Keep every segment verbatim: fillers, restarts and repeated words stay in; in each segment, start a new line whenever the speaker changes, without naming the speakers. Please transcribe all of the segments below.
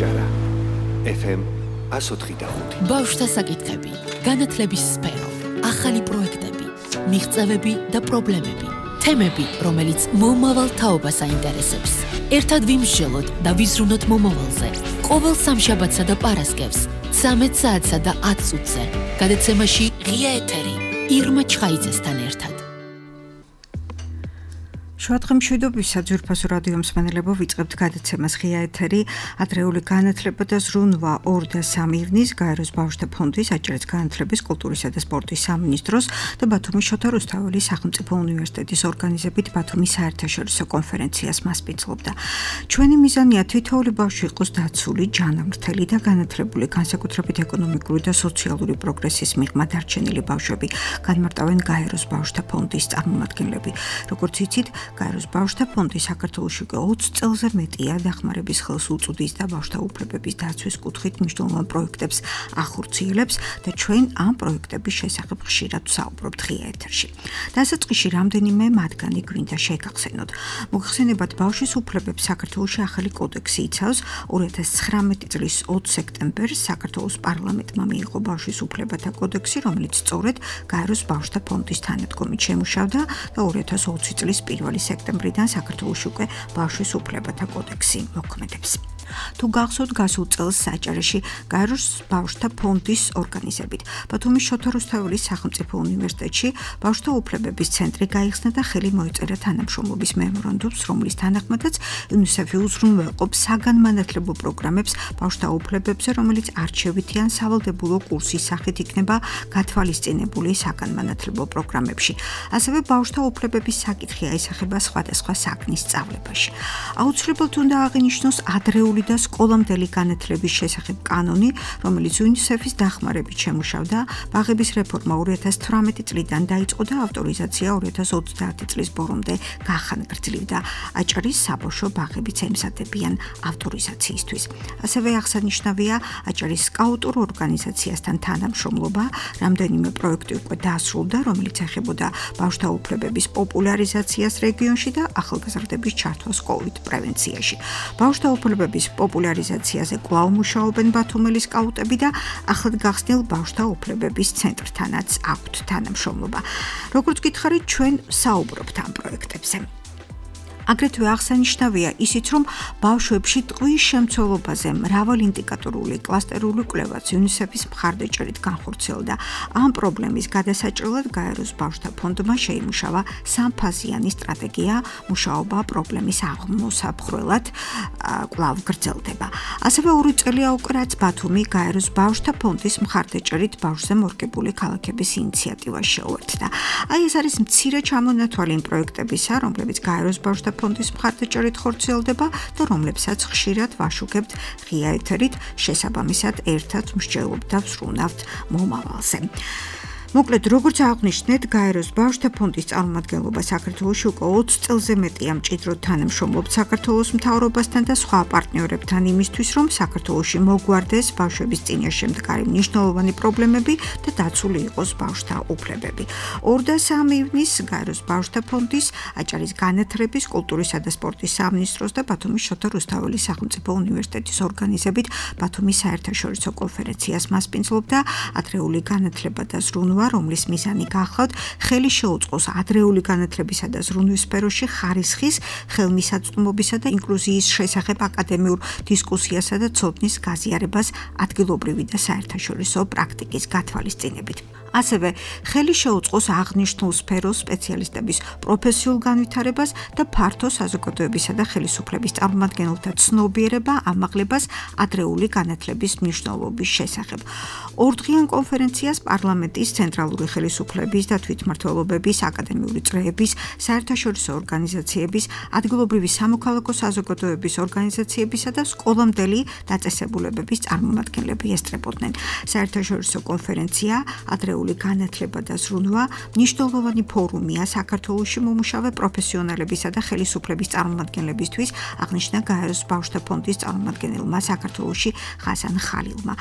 აჭარა ეფ ემ εκατό ოთხი და ხუთი.
ბავშვთა საკითხები, განათლების სფერო, ახალი პროექტები, მიღწევები და პრობლემები, თემები, რომელიც მომავალ თაობას აინტერესებს. ერთად ვიმსჯელოთ და ვიზრუნოთ მომავალზე. ყოველ სამშაბათსა და პარასკევს, ცამეტ საათსა და ათ წუთზე. გადაცემაში ღია ეთერი, ირმა ჩხაიძესთან ერთად.
შუადღე მშვიდობისა ძვირფასო რადიო მსმენელებო, ვიწყებთ გადაცემას ღია ეთერი, ადრეული განათლება და ზრუნვა ორი და სამი ივნის, გაეროს ბავშვთა ფონდის, აჭარის განათლების, კულტურისა და სპორტის სამინისტროს და ბათუმის შოთა რუსთაველის სახელმწიფო უნივერსიტეტის ორგანიზებით ბათუმის საერთაშორისო კონფერენციას მასპინძლობდა. ჩვენი მიზანია თითოეული ბავშვი იყოს დაცული, ჯანმრთელი და განათლებული, განსაკუთრებით ეკონომიკური და სოციალური პროგრესის მიღმა დარჩენილი ბავშვები, განმარტავენ გაეროს ბავშვთა ფონდის წარმომადგენლები. როგორც იცით, გაეროს ბავშვთა ფონდი საქართველოში უკვე ოცი წელზე მეტია დახმარების ხელს უწუდის და ბავშვთა უფლებების დაცვის კუთხით მნიშვნელოვან პროექტებს ახორციელებს და ჩვენ ამ პროექტების შესახებ ხშირად ვსაუბრობთ ღია ეთერში. დასაწყისში რამდენიმე მათგანი გვინდა შეგახსენოთ. მოგხსენებათ, ბავშვის უფლებებს საქართველოში ახალი კოდექსი იცავს. ორი ათას ცხრამეტი წლის ოცი სექტემბერს საქართველოს პარლამენტმა მიიღო ბავშვის უფლებათა კოდექსი, რომელიც სწორედ გაეროს ბავშვთა ფონდის თანადგომით შემუშავდა და ორი ათას ოცი წლის პირველი სექტემბრიდან საქართველოში უკვე ბავშვის უფლებათა კოდექსი მოქმედებს. თუ გახსოვთ, გასულ წელს საჭარეში გაეროს ბავშვთა ფონდის ორგანიზებით ბათუმის შოთა რუსთაველის სახელმწიფო უნივერსიტეტში ბავშვთა უფლებების ცენტრი გაიხსნა და ხელი მოეწერა თანამშრომლობის მემორანდუმს, რომლის თანახმადაც იუნისეფი უზრუნველყოფს საგანმანათლებლო პროგრამებს ბავშვთა უფლებებზე, რომელიც არჩევითი ან სავალდებულო კურსის სახით იქნება გათვალისწინებული საგანმანათლებლო პროგრამებში. ასევე ბავშვთა უფლებების საკითხი აისახება სხვადასხვა საქმის სწავლებაში. აუცილებლად უნდა აღინიშნოს ადრეული და სკოლამდელი განათლების შესახებ კანონი, რომელიც იუნისეფის დახმარებით შემუშავდა. ბაღების რეფორმა ორი ათას თვრამეტი წლიდან დაიწყო და ავტორიზაცია ორი ათას ოცდაათი წლის ბოლომდე გახანგრძლივდა. აჭარის საბავშვო ბაღებიც ემზადებიან ავტორიზაციისთვის. ასევე აღსანიშნავია აჭარის სკაუტურ ორგანიზაციასთან თანამშრომლობა, რამდენიმე პროექტი უკვე დასრულდა, რომელიც ეხებოდა ბავშვთა უფლებების პოპულარიზაციას რეგიონში და ახალგაზრდების ჩართვას კოვიდ პრევენციაში. ბავშვთა უფლებების პოპულარიზაციაზე კვლავ მუშაობენ ბათუმელი სკაუტები და ახლად გახსნილ ბავშვთა უფლებების ცენტრთანაც აქვთ თანამშრომლობა. როგორც გითხარით, ჩვენ საუბრობთ ამ პროექტებზე. აგრეთვე აღსანიშნავია ისიც, რომ ბავშვებში ტყვის შემცველობაზე მრავალინდიკატორული კლასტერული კვლევაც იუნისეფის მხარდაჭერით განხორციელდა. ამ პრობლემის გადასაჭრელად გაეროს ბავშვთა ფონდმა შეიმუშავა სამფაზიანი სტრატეგია, მუშაობა პრობლემის აღმოსაფხვრელად კვლავ გრძელდება. ასევე ორი წელია უკვე, რაც ბათუმი გაეროს ბავშვთა ფონდის მხარდაჭერით ბავშვზე მორგებული ქალაქების ინიციატივას შეუერთდა. აი ეს არის მცირე ჩამონათვალი იმ პროექტებისა, რომლებიც გაეროს ბავშვთა ფონდის მხარდაჭერით ხორციელდება და რომლებსაც ხშირად ვაშუქებთ ღია ეთერით, შესაბამისად ერთად მსჯელობთ და ვსრუნავთ მომავალზე. მოკლედ, როგორც აღვნიშნეთ, გაეროს ბავშვთა ფონდის წარმომადგენლობა საქართველოში უკვე ოცი წელზე მეტია მჭიდროდ თანამშრომლობს საქართველოს მთავრობასთან და სხვა პარტნიორებთან იმისთვის, რომ საქართველოში მოგვარდეს ბავშვების წინაშე მდგარი მნიშვნელოვანი პრობლემები და დაცული იყოს ბავშვთა უფლებები. ორი და სამი ივნის გაეროს ბავშვთა ფონდის, აჭარის განათლების, კულტურისა და სპორტის სამინისტროს და ბათუმის შოთა რუსთაველის სახელმწიფო უნივერსიტეტის ორგანიზებით ბათუმის საერთაშორისო კონფერენციას მასპინძლობდა ადრეული განათლება და ზრუნვა, რომლის მიზანი გახლავთ ხელი შეუწყოს ადრეული განათლებისა და ზრუნვის სფეროში ხარისხის, ხელმისაწვდომობისა და ინკლუზიის შესახებ აკადემიურ დისკუსიასა და ცოდნის გაზიარებას ადგილობრივი და საერთაშორისო პრაქტიკის გათვალისწინებით. ასევე ხელი შეუწყოს აღნიშნულ სფეროს სპეციალისტების პროფესიულ განვითარებას და ფართო საზოგადოებისა და ხელისუფლების წარმომადგენელთა ცნობიერება ამაღლებას ადრეული განათლების მნიშვნელობის შესახებ. ორდღიან კონფერენციას პარლამენტის, ცენტრალური ხელისუფლების და თვითმმართველობების, აკადემიური წრეების, საერთაშორისო ორგანიზაციების, ადგილობრივი სამოქალაქო საზოგადოების ორგანიზაციებისა და სკოლამდელი დაწესებულებების წარმომადგენლები ესწრებოდნენ. საერთაშორისო კონფერენცია ადრეული განათლება და ზრუნვა მნიშვნელოვანი ფორუმია საქართველოში მომუშავე პროფესიონალებისა და ხელისუფლების წარმომადგენლებისთვის, აღნიშნა გაეროს ბავშვთა ფონდის წარმომადგენელმა საქართველოში ხასან ხალილმა.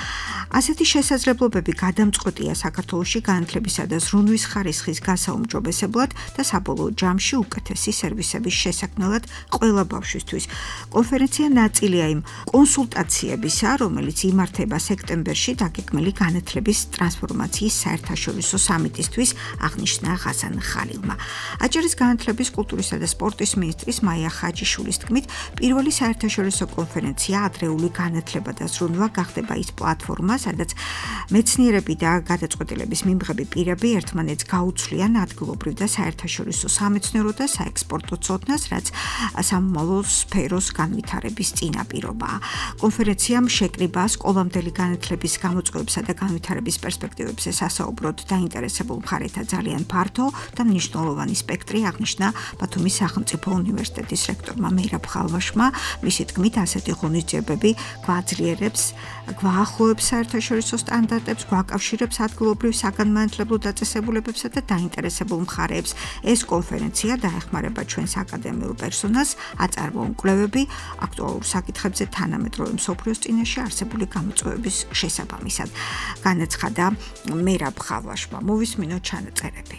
ასეთი შესაძლებლობები გადამწყვეტია საქართველოში განათლებისა და ზრუნვის ხარისხის გასაუმჯობესებლად და საბოლოო ჯამში უკეთესი სერვისების შესაქმნელად ყველა ბავშვისთვის. კონფერენცია ნაწილია იმ კონსულტაციებისა, რომელიც იმართება სექტემბერში დაგეგმილი განათლების ტრანსფორმაციის საერთაშორისო სამიტისთვის, აღნიშნა ღაზან ხალილმა. აჭარის განათლების, კულტურისა და სპორტის მინისტრის მაია ხაჯიშვილის თქმით, პირველი საერთაშორისო კონფერენცია ადრეული განათლება და ზრუნვა გახდება ის პლატფორმა, სადაც მეცნიერები და გადაწყვეტილების მიმღები პირები ერთმანეთს გაუცვლიან ადგილობრივ და საერთაშორისო სამეცნიერო და საექსპორტო ცოდნას, რაც სამომავლო სფეროს განვითარების წინაპირობაა. კონფერენციამ შეკრიბა სკოლამდელი განათლების გამოწვევებსა და განვითარების პერსპექტივებზე სასაუბროდ დაინტერესებულ მხარეთა ძალიან ფართო და მნიშვნელოვანი სპექტრი, აღნიშნა ბათუმის სახელმწიფო უნივერსიტეტის რექტორმა მეირაბ ხალვაშმა. მისი თქმით, ასეთი ღონისძიებები გვაძლიერებს, გვაახლოებს საერთაშორისო სტანდარტებს, გვაკავშირებს ადგილობრივ საგანმანათლებლო დაწესებულებებსა და დაინტერესებულ მხარეებს. ეს კონფერენცია დაეხმარება ჩვენს აკადემიურ პერსონალს, აწარმოონ კვლევები აქტუალურ საკითხებზე თანამედროვე მსოფლიოს წინაშე არსებული გამოწვევების შესაბამისად. განაცხადა მეირაბ ხალვაშმა. მოვისმინოთ ჩანაწერები.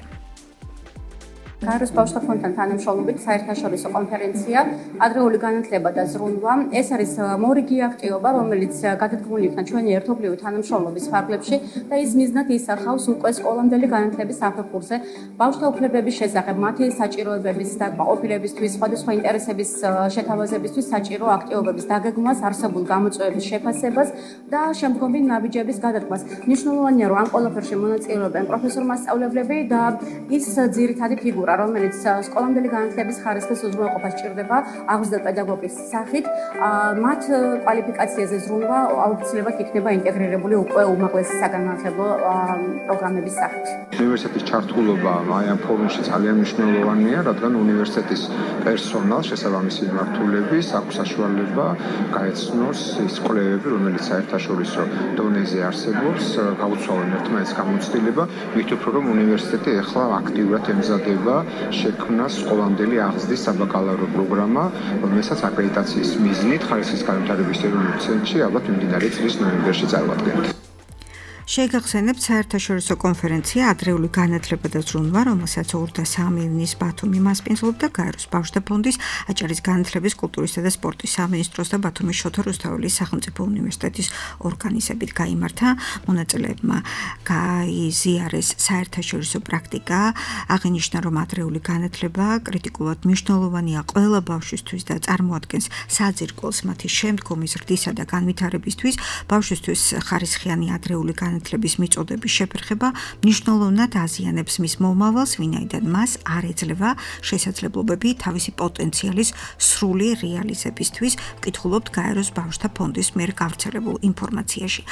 გაეროს ბავშვთა ფონდთან თანამშრომლობით საერთაშორისო კონფერენცია ადრეული განათლება და ზრუნვა. ეს არის მორიგი აქტივობა, რომელიც გადადგმული იქნა ჩვენი ერთობლივი თანამშრომლობის ფარგლებში და ის მიზნად ისახავს უკვე სკოლამდელი განათლების საფეხურზე ბავშვთა უფლებების შესახებ, მათი საჭიროებების და კმაყოფილებისთვის, სხვადასხვა ინტერესების შეთავაზებისთვის საჭირო აქტივობების დაგეგმვას, არსებულ გამოწვევების შეფასებას და შემდგომი ნაბიჯების გადადგმას. მნიშვნელოვანია, რომ ამ ყველაფერში მონაწილეობენ პროფესორ-მასწავლებლები და ის ძირითადი ფიგურა, რომელიც სკოლამდელი განათლების ხარისხის უზრუნველყოფას ჭირდება აღზრდა პედაგოგის სახით, მათ კვალიფიკაციაზე ზრუნვა აუცილებლად იქნება ინტეგრირებული უკვე უმაღლესი საგანმანათლებლო პროგრამების სახით.
უნივერსიტეტის ჩართულობა აი ამ ფორუმში ძალიან მნიშვნელოვანია, რადგან უნივერსიტეტის პერსონალს შესაბამისი მიმართულების აქვს საშუალება გაეცნოს ის კვლევები, რომელიც საერთაშორისო დონეზე არსებობს, გაუცვალონ ერთმანეთს გამოცდილება, მით უფრო რომ უნივერსიტეტი ახლა აქტიურად ემზადება შექმნას სკოლამდელი აღზრდის საბაკალავრო პროგრამა, რომელსაც აკრედიტაციის მიზნით ხარისხის განვითარების ეროვნულ ცენტრში ალბათ მიმდინარე წლის ნოემბერში წარუდგენთ.
შეგახსენებთ საერთაშორისო კონფერენცია ადრეული განათლება და ზრუნვა, რომელსაც ორ და სამი ივნის ბათუმი მასპინძლობდა გაეროს ბავშვთა ფონდის, აჭარის განათლების, კულტურისა და სპორტის სამინისტროს და ბათუმის შოთა რუსთაველის სახელმწიფო უნივერსიტეტის ორგანიზებით გაიმართა. მონაწილეებმა გაიზიარეს საერთაშორისო პრაქტიკა, აღინიშნა, რომ ადრეული განათლება კრიტიკულად მნიშვნელოვანია ყველა ბავშვისთვის და წარმოადგენს საძირკველს მათი შემდგომი ზრდისა და განვითარებისთვის. ბავშვისთვის ხარისხიანი ადრეული განათლების მიწოდების შეფერხება მნიშვნელოვნად აზიანებს მის მომავალს, ვინაიდან მას არ ეძლევა შესაძლებლობები თავისი პოტენციალის სრული რეალიზებისთვის, ვკითხულობთ გაეროს ბავშვთა ფონდის მიერ გავრცელებულ ინფორმაციაში.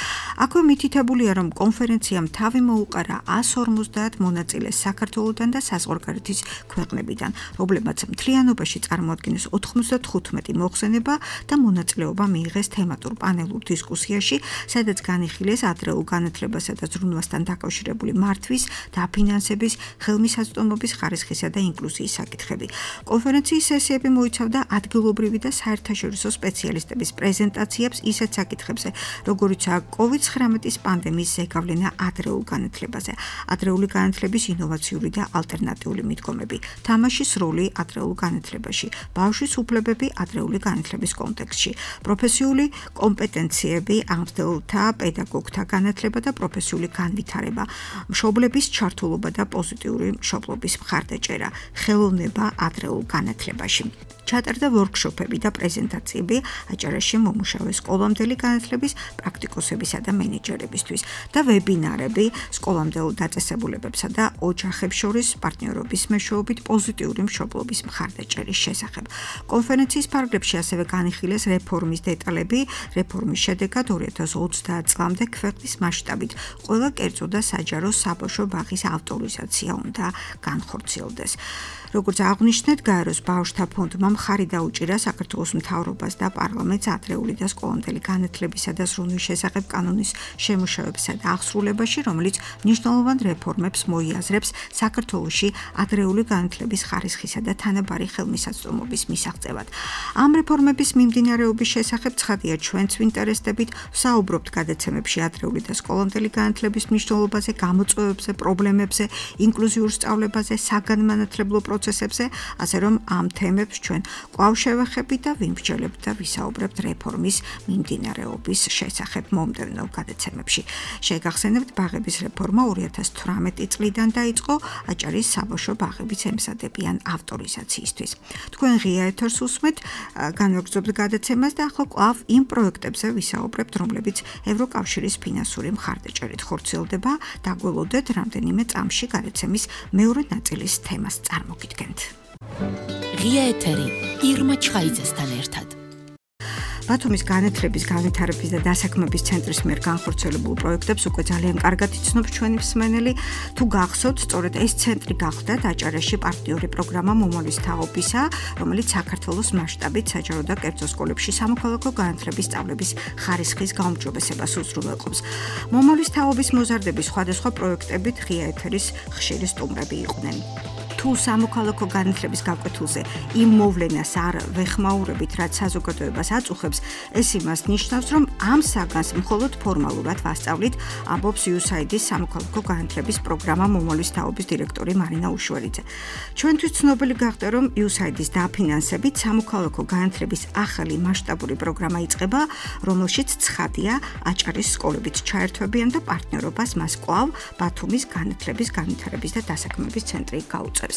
აქვე მითითებულია, რომ კონფერენციამ თავი მოუყარა ას ორმოცდაათ მონაწილეს საქართველოდან და საზღვარგარეთის ქვეყნებიდან, რომლებმაც მთლიანობაში წარმოადგენს ოთხმოცდათხუთმეტი მოხსენება და მონაწილეობა მიიღეს თემატურ პანელურ დისკუსიაში, სადაც განიხილეს ადრეულ განათლებასა და ზრუნვასთან დაკავშირებული მართვის, დაფინანსების, ხელმისაწვდომობის ხარისხისა და ინკლუზიის საკითხები. კონფერენციის სესიები მოიცავდა ადგილობრივი და საერთაშორისო სპეციალისტების პრეზენტაციებს ისეთ საკითხებზე, როგორიცაა კოვიდ ცხრამეტის პანდემიის ზეგავლენა ადრეულ განათლებაზე, ადრეული განათლების ინოვაციური და ალტერნატიული მიდგომები, თამაშის როლი ადრეულ განათლებაში, ბავშვის უფლებები ადრეული განათლების კონტექსტში, პროფესიული კომპეტენციები, ამხდელთა, პედაგოგთა განათლება და პროფესიული განვითარება, მშობლების ჩართულობა და პოზიტიური მშობლობის მხარდაჭერა, ხელოვნება ადრეულ განათლებაში. ჩატარდა ვორქშოპები და პრეზენტაციები აჭარაში მომუშავე სკოლამდელი განათლების პრაქტიკოსებისა და მენეჯერებისთვის და ვებინარები სკოლამდელ დაწესებულებებსა და ოჯახებს შორის პარტნიორობის მეშვეობით პოზიტიური მშობლობის მხარდაჭერის შესახებ. კონფერენციის ფარგლებში ასევე განიხილეს რეფორმის დეტალები, რეფორმის შედეგად ორი ათას ოცდაათ წლამდე ქვეყნის მასშტაბით ყველა კერძო და საჯარო საბავშვო ბაღის ავტორიზაცია უნდა განხორციელდეს. როგორც აღნიშნეთ, გაეროს ბავშვთა ფონდმა მხარი დაუჭირა საქართველოს მთავრობას და პარლამენტს ადრეული და სკოლამდელი განათლებისა და ზრუნვის შესახებ კანონის შემუშავებასა და აღსრულებაში, რომელიც მნიშვნელოვან რეფორმებს მოიაზრებს საქართველოში ადრეული განათლების ხარისხისა და თანაბარი ხელმისაწვდომობის მისაღწევად. ამ რეფორმების მიმდინარეობის შესახებ ცხადია ჩვენც ვინტერესდებით, ვსაუბრობთ გადაცემებში ადრეული და სკოლამდელი განათლების მნიშვნელობაზე, გამოწვევებზე, პრობლემებზე, ინკლუზიურ სწავლებაზე, საგანმანათლებლო პროცესებზე, ასე რომ ამ თემებს ჩვენ კვლავ შევეხებით და ვიმსჯელებთ და ვისაუბრებთ რეფორმის მიმდინარეობის შესახებ მომდევნო გადაცემებში. შეგახსენებთ, ბაღების რეფორმა ორი ათას თვრამეტი წლიდან დაიწყო, აჭარის საბავშვო ბაღებიც ემზადებიან ავტორიზაციისთვის. თქვენ ღია ეთერს უსმენთ, განვაგრძობთ გადაცემას და ახლა კვლავ იმ პროექტებზე ვისაუბრებთ, რომლებიც ევროკავშირის ფინანსური მხარდაჭერით ხორციელდება. დაგველოდეთ რამდენიმე წამში გადაცემის მეორე ნაწილის თემას წარმოგიდგენთ.
ღია ეთერი ირმა ჩხაიძესთან ერთად.
ბათუმის განათლების, განვითარების და დასაქმების ცენტრის მიერ განხორციელებულ პროექტებს უკვე ძალიან კარგად იცნობს ჩვენი მსმენელი. თუ გახსოვთ, სწორედ ეს ცენტრი გახდა აჭარაში პარტნიორი პროგრამა მომავლის თაობისა, რომელიც საქართველოს მასშტაბით საჯარო და კერძო სკოლებში სამოქალაქო განათლების სწავლების ხარისხის გაუმჯობესებას უზრუნველყოფს. მომავლის თაობის მოზარდების სხვადასხვა პროექტებით ღია ეთერის ხშირი სტუმრები იყვნენ. თუ სამოქალაქო განათლების გაკვეთილზე იმ მოვლენას არ ვეხმაურებით, რაც საზოგადოებას აწუხებს, ეს იმას ნიშნავს, რომ ამ საგანს მხოლოდ ფორმალურად ვასწავლით, ამბობს იუ ეს აი დი-ის სამოქალაქო განათლების პროგრამა მომავლის თაობის დირექტორი მარინა უშველიძე. ჩვენთვის ცნობილი გახდა, რომ იუ ეს აი დი-ის დაფინანსებით სამოქალაქო განათლების ახალი მასშტაბური პროგრამა იწყება, რომელშიც ცხადია აჭარის სკოლებიც ჩაერთვებიან და პარტნიორობას მას კვლავ ბათუმის განათლების, განვითარების და დასაქმების ცენტრი გაუწევს.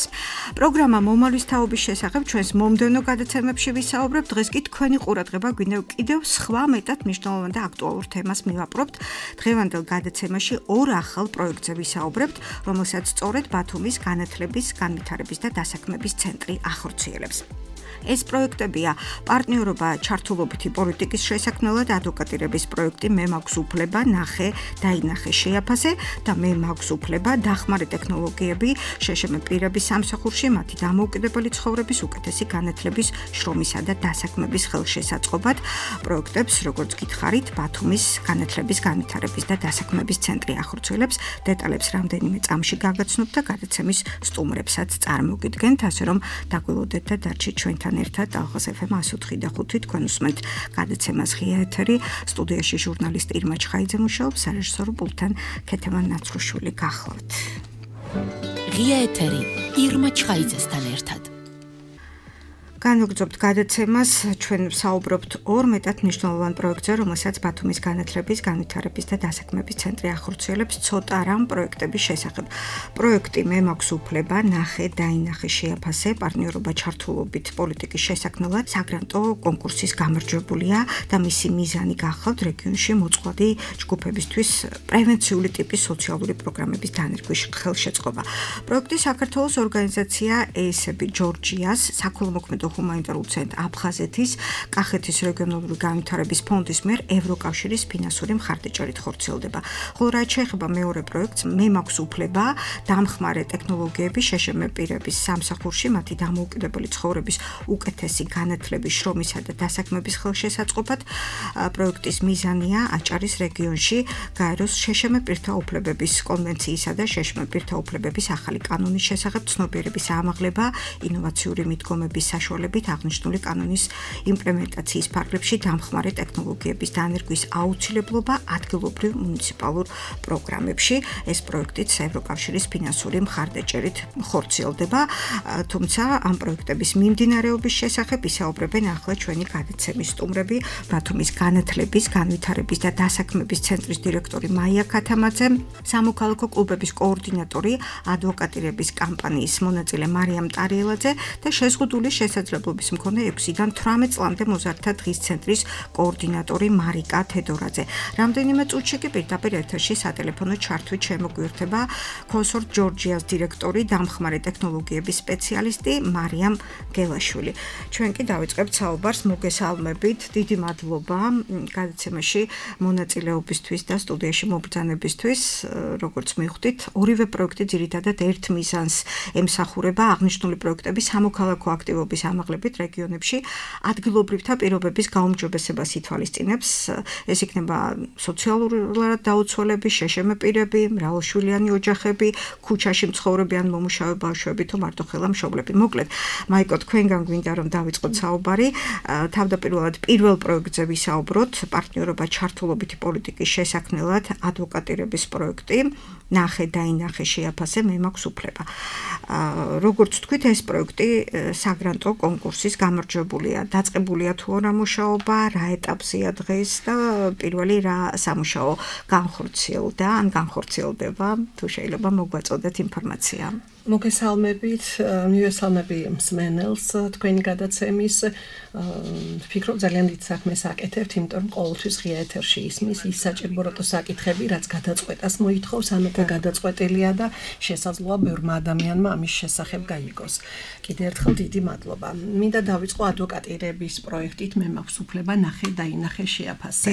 პროგრამა მომავლის თაობის შესახებ ჩვენს მომდევნო გადაცემებში ვისაუბრებთ. დღეს კი თქვენი ყურადღება გვინდა კიდევ სხვა მეტად მნიშვნელოვან და აქტუალურ თემას მივაპყრობთ. დღევანდელ გადაცემაში ორ ახალ პროექტზე ვისაუბრებთ, რომელსაც სწორედ ბათუმის განათლების, განვითარების და დასაქმების ცენტრი ახორციელებს. ეს პროექტებია პარტნიორობა ჩართულობითი პოლიტიკის შესაქმნელად, ადვოკატირების პროექტი მე მაქვს უფლება, ნახე, დაინახე, შეაფასე და მე მაქვს უფლება, დახმარე ტექნოლოგიები, შეშმ პირების სამსახურში, მათი დამოუკიდებელი ცხოვრების უკეთესი განათლების, შრომისა და დასაქმების ხელშესაწყობად. პროექტებს, როგორც გითხარით, ბათუმის განათლების, განვითარების და დასაქმების ცენტრი ახორციელებს. დეტალებს რამდენიმე წამში გაგაცნობთ და გადაცემის სტუმრებსაც წარმოგიდგენთ, ასე რომ დაგველოდეთ და დარჩით ჩვენთან ერთად. ალღას ეფ ემ εκατო ოთხი და ხუთი თქვენ უსმენთ გადაცემას ღია ეთერი. სტუდიაში ჟურნალისტი ირმა ჩხაიძე მუშაობს, სარეჟისორო პულტთან ქეთევან ნაცრუშვილი გახლავთ.
ღია ეთერი ირმა ჩხაიძესთან ერთად.
განვაგრძობთ გადაცემას, ჩვენ ვსაუბრობთ ორ მეტად მნიშვნელოვან პროექტზე, რომელსაც ბათუმის განათლების, განვითარების და დასაქმების ცენტრი ახორციელებს. ცოტა რამ პროექტების შესახებ. პროექტი მე მაქვს უფლება, ნახე, დაინახე, შეაფასე, პარტნიორობა ჩართულობით პოლიტიკის შესაქმნელად საგრანტო კონკურსის გამარჯვებულია და მისი მიზანი გახლავთ რეგიონში მოწყვლადი ჯგუფებისთვის პრევენციული ტიპის სოციალური პროგრამების დანერგვის ხელშეწყობა. პროექტი საქართველოს ორგანიზაცია ე ეს ები ჯორჯიას, საქველმოქმედო ჰუმანიტარულ ცენტრ აფხაზეთის, კახეთის რეგიონალური განვითარების ფონდის მიერ ევროკავშირის ფინანსური მხარდაჭერით ხორციელდება. ხოლო რაც შეეხება მეორე პროექტს, მე მაქვს უფლება, დამხმარე ტექნოლოგიები შეშმ პირების სამსახურში, მათი დამოუკიდებელი ცხოვრების უკეთესი განათლების, შრომისა და დასაქმების ხელშესაწყობად. პროექტის მიზანია აჭარის რეგიონში გაეროს შეშმ პირთა უფლებების კონვენციისა და შეშმ პირთა უფლებების ახალი კანონის შესახებ ცნობიერების ამაღლება, ინოვაციური მიდგომების საშუალებით აღნიშნული კანონის იმპლემენტაციის ფარგლებში დამხმარე ტექნოლოგიების დანერგვის აუცილებლობა ადგილობრივ მუნიციპალურ პროგრამებში. ეს პროექტიც ევროკავშირის ფინანსური მხარდაჭერით ხორციელდება, თუმცა ამ პროექტების მიმდინარეობის შესახებ ისაუბრებენ ახლა ჩვენი გადაცემის სტუმრები, ბათუმის განათლების, განვითარების და დასაქმების ცენტრის დირექტორი მაია ქათამაძე, სამოქალაქო კლუბების კოორდინატორი, ადვოკატირების კამპანიის მონაწილე მარიამ ტარიელაძე და შეზღუდული შესაძლებლობის მქონე ექვსიდან თვრამეტ წლამდე მოზარდთა დღის ცენტრის კოორდინატორი მარიკა თედორაძე. რამდენიმე წუთში კი პირდაპირ ეთერში სატელეფონო ჩართვით შემოგვიერთება კონსორტ ჯორჯიას დირექტორი, დამხმარე ტექნოლოგიების სპეციალისტი მარიამ გელაშვილი. ჩვენ კი დავიწყებთ საუბარს, მოგესალმებით, დიდი მადლობა გადაცემაში მონაწილეობისთვის და სტუდიაში მობრძანებისთვის. როგორც მივხვდით, ორივე პროექტი ძირითადად ერთ მიზანს ემსახურება, აღნიშნული პროექტები სამოქალაქო აქტივობის ამაღლებით რეგიონებში ადგილობრივთა პირობების გაუმჯობესებას ითვალისწინებს. ეს იქნება სოციალურად დაუცველები, შეშემე პირები, მრავალშვილიანი ოჯახები, ქუჩაში მცხოვრები ან მომუშავე ბავშვები თუ მარტოხელა მშობლები. მოკლედ, მაიკო, თქვენგან გვინდა რომ დავიწყოთ საუბარი. თავდაპირველად პირველ პროექტზე ვისაუბროთ, პარტნიორობა ჩართულობითი პოლიტიკის შესაქმნელად ადვოკატირების პროექტი. ნახე დაინახე შეაფასე მე მაქვს უფლება. როგორც თქვით, ეს პროექტი საგრანტო კონკურსის გამარჯვებულია. დაწყებულია თუ არა მუშაობა, რა ეტაპზეა დღეს და პირველი რა სამუშაო განხორციელდა ან განხორციელდება, თუ შეიძლება მოგვაწოდეთ ინფორმაცია.
მოგესალმებით, მივესალმები მსმენელს თქვენი გადაცემის. ვფიქრობ ძალიან დიდ საქმეს აკეთებთ, იმიტომ რომ ყოველთვის ღია ეთერში ისმის ის საჭიროებო საკითხები, რაც გადაწყვეტას მოითხოვს, ანუ გადაწყვეტილია და შესაძლოა ბევრმა ადამიანმა ამის შესახებ გაიგოს. კიდევ ერთხელ დიდი მადლობა. მინდა დავიწყო ადვოკატირების პროექტით მე მაქვს უფლება ნახე დაინახე შეაფასე.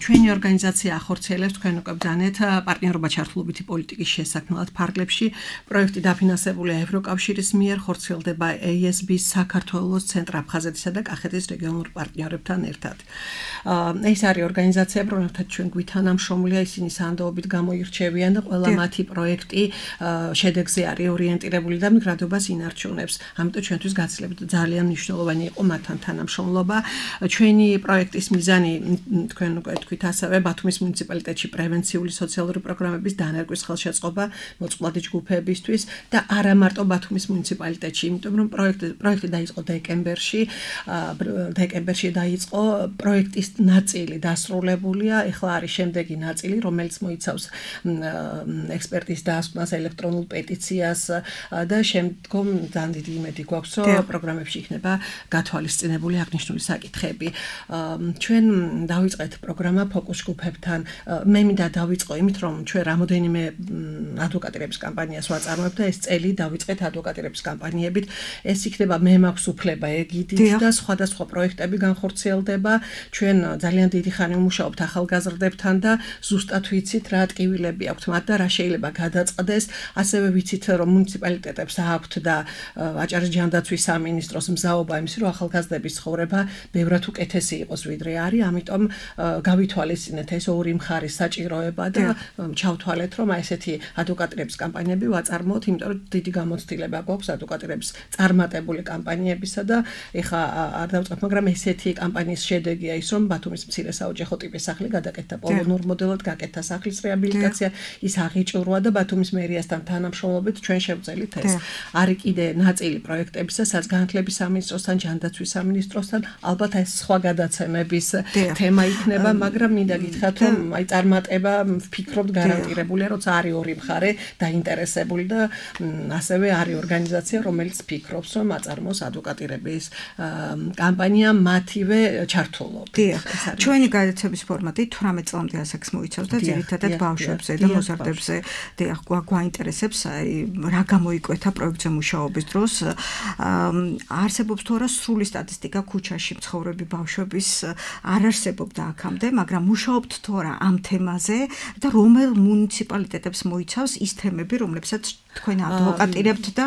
ჩვენი ორგანიზაცია ახორციელებს თქვენ უკვე ბრძანეთ პარტნიორობა ჩართულობითი პოლიტიკის შესაქმნელად ფარგლებში. პროექტი დაფინანსებულია ევროკავშირის მიერ, ხორციელდება эй ეს ბი-ს საქართველოს, ცენტრ-აფხაზეთისა და კახეთის რეგიონულ პარტნიორებთან ერთად. ეს არის ორგანიზაცია, რომელთაც ჩვენ გვითანამშრომლია, ისინი სანდოობით გამოირჩევიან და ყველა მათი პროექტი შედეგზე არის ორიენტირებული და მიგრადობას ინარჩუნებს. ამიტომ ჩვენთვის გაცილებით ძალიან მნიშვნელოვანი იყო მათთან თანამშრომლობა. ჩვენი პროექტის მიზანი, თქვენ უკვე თქვით ასევე, ბათუმის მუნიციპალიტეტში პრევენციული სოციალური პროგრამების დანერგვის ხელშეწყობა მოწყვლადი ჯგუფებისთვის და არა მარტო ბათუმის მუნიციპალიტეტში, იმიტომ რომ პროექტი პროექტი დაიწყო დეკემბერში, დეკემბერში დაიწყო პროექტის ნაწილი დასრულებულია, ეხლა არის შემდეგი ნაწილი, რომელიც მოიცავს ექსპერტის დასკვნას, ელექტრონულ პეტიციას და შემდგომ ძალიან დიდი იმედი გვაქვს, რომ პროგრამებში იქნება გათვალისწინებული აღნიშნული საკითხები. ჩვენ დავიწყეთ პროგრამა ფოკუს ჯგუფებთან. მე მინდა დავიწყო იმით, რომ ჩვენ რამოდენიმე ადვოკატირების კამპანიას ვაწარმოებთ და ეს წელი დავიწყეთ ადვოკატირების კამპანიებით. ეს იქნება მე მაქვს უფლება ეგიდით და სხვადასხვა პროექტები განხორციელდება. ჩვენ ძალიან დიდი ხანი ვმუშაობთ ახალგაზრდებთან და ზუსტად ვიცით რა ტკივილები აქვთ მათ და რა შეიძლება გადაწყდეს. ასევე ვიცით რომ მუნიციპალიტეტებს აქვთ და აჭარის ჯანდაცვის სამინისტროს მზაობა იმის რომ ახალგაზრდების ცხოვრება ბევრად უკეთესი იყოს ვიდრე არის. ამიტომ გავითვალისწინეთ ეს ორი მხარის საჭიროება და ჩავთვალეთ რომ ესეთი ადვოკატირების კამპანიები ვაწარმოოთ, იმიტომ რომ დიდი გამოცდილება გვაქვს ადვოკატირების წარმატებული კამპანიებისა და ეხა არ დავწყებ, მაგრამ ესეთი კამპანიის შედეგია ის, რომ ბათუმის მცირე საოჯახო ტიპის სახლი გადაკეთდა პოლონურ მოდელად, გაკეთდა სახლის რეაბილიტაცია, ის აღიჭურვა და ბათუმის მერიასთან თანამშრომლობით ჩვენ შევწელით ეს. არის კიდე ნაწილი პროექტებისა, სადაც განათლების სამინისტროსთან, ჯანდაცვის სამინისტროსთან, ალბათ ეს სხვა გადაცემების თემა იქნება, მაგრამ მინდა გითხრათ, რომ აი წარმატება ვფიქრობთ გარანტირებულია, როცა არის ორი მხარე დაინტერესებული და ასევე არის ორგანიზაცია, რომელიც ფიქრობს, რომ აწარმოოს ადვოკატირების კამპანია მათივე ჩართულობით.
ჩვენი გადაცემის ფორმატი თვრამეტ წლამდე ასაკს მოიცავს და ძირითადად ბავშვებზე და მოზარდებზე დიახ გვაინტერესებს, აი რა გამოიკვეთა პროექტზე მუშაობის დროს. არსებობს თუ არა სრული სტატისტიკა ქუჩაში მცხოვრები ბავშვების არ არსებობდა აქამდე, მაგრამ მუშაობთ თუ არა ამ თემაზე და რომელ მუნიციპალიტეტებს მოიცავს ის თემები, რომლებსაც თქვენ ადვოკატირებთ და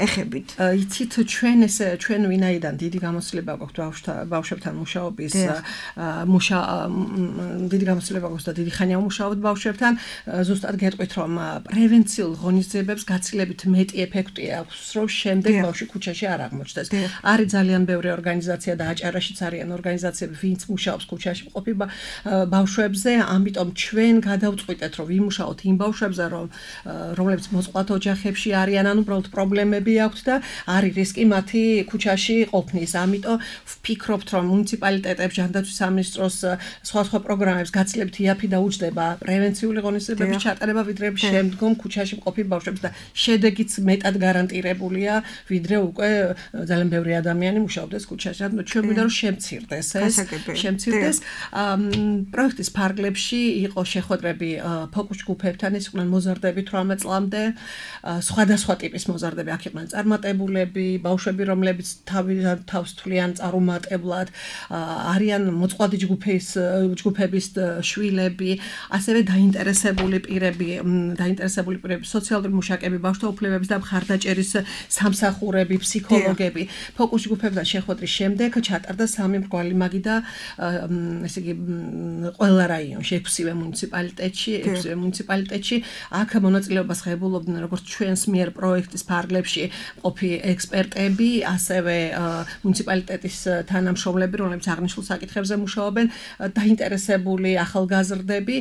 ეხებით.
იცით ჩვენ ეს ჩვენ ვინაიდან დიდი გამოცდილება გვაქვს ბავშვებთან მუშაობის მუშა დიდი გამოცდილება გვაქვს და დიდი ხანია ვმუშაობთ ბავშვებთან, ზუსტად გეტყვით რომ პრევენციულ ღონისძიებებს გაცილებით მეტი ეფექტი აქვს, რომ შემდეგ ბავშვი ქუჩაში არ აღმოჩნდეს. არის ძალიან ბევრი ორგანიზაცია და აჭარაშიც არიან ორგანიზაციები, ვინც მუშაობს ქუჩაში მყოფი ბავშვებზე, ამიტომ ჩვენ გადავწყვიტეთ რომ ვიმუშაოთ იმ ბავშვებზე, რომ რომლებიც მოწყვლად ოჯახებში არიან, ან უბრალოდ პრობლემები აქვთ და არის რისკი მათი ქუჩაში ყოფნის. ამიტომ ვფიქრობთ, რომ მუნიციპალიტეტებს, ჯანდაცვის სამინისტროს სხვა სხვა პროგრამებს გაცილებით იაფი დაუჯდება პრევენციული ღონისძიებების ჩატარება, ვიდრე შემდგომ ქუჩაში მყოფი ბავშვებს და შედეგიც მეტად გარანტირებულია, ვიდრე უკვე ძალიან ბევრი ადამიანი მუშაობდეს ქუჩაში. რადგან ჩვენ გვინდა რომ შემცირდეს ეს, შემცირდეს. პროექტის ფარგლებში იყო შეხვედრები ფოკუს ჯგუფებთან, ეს იყვნენ მოზარდები თვრამეტ წლამდე, სხვადასხვა ტიპის მოზარდები, აქ იყვნენ წარმატებულები, ბავშვები, რომლებიც თავს თვლიან წარუმატებლად, არიან მოწყვლადი ჯგუფის ჯგუფების შვილები, ასევე დაინტერესებული პირები, დაინტერესებული პირები, სოციალური მუშაკები, ბავშვთა უფლებების და მხარდაჭერის სამსახურები, ფსიქოლოგები. ფოკუს ჯგუფებთან შეხვედრის შემდეგ ჩატარდა სამი მრგვალი მაგი და ესე იგი ყველა რაიონში, ექვსივე მუნიციპალიტეტში, ექვსივე მუნიციპალიტეტში აქ მონაწილეობას ღებულობდნენ როგორც ჩვენს მიერ პროექტის ფარგლებში ყოფი ექსპერტები, ასევე მუნიციპალიტეტის თანამშრომლები, რომლებიც აღნიშნულ საკითხებზე მუშაობენ, დაინტერესებული ახალგაზრდები,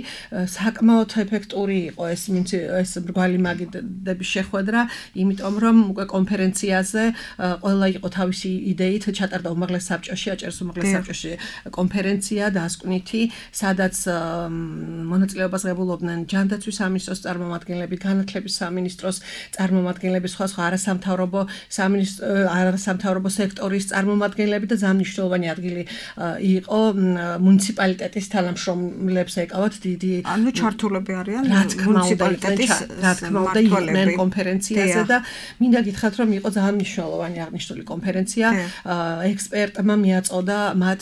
საკმაოდ ეფექტური იყო ეს ეს მრგვალი მაგიდების შეხვედრა, იმიტომ რომ უკვე კონფერენციაზე ყველა იყო თავისი იდეით, ჩატარდა უმაღლეს საბჭოში, აჭარის უმაღლეს საბჭოში კონფერენცია დასკვნითი, სადაც მონაწილეობას ღებულობდნენ ჯანდაცვის სამინისტროს წარმომადგენლები, განათლების სამინისტროს წარმომადგენლები, სხვა სხვა არასამთავრობო სამინისტრო არასამთავრობო სექტორის წარმომადგენლები და ზამნიშნულოვანი ადგილი იყო მუნიციპალიტეტის თანამშრომლებს ეკავათ დიდი
ანუ ჩართულები არიან
მუნიციპალიტეტის რა თქმა უნდა იყვნენ კონფერენციაზე და მინდა გითხრათ რომ იყო ძალიან მნიშვნელოვანი აღნიშნული კონფერენცია ექსპერტმა მიაწოდა მათ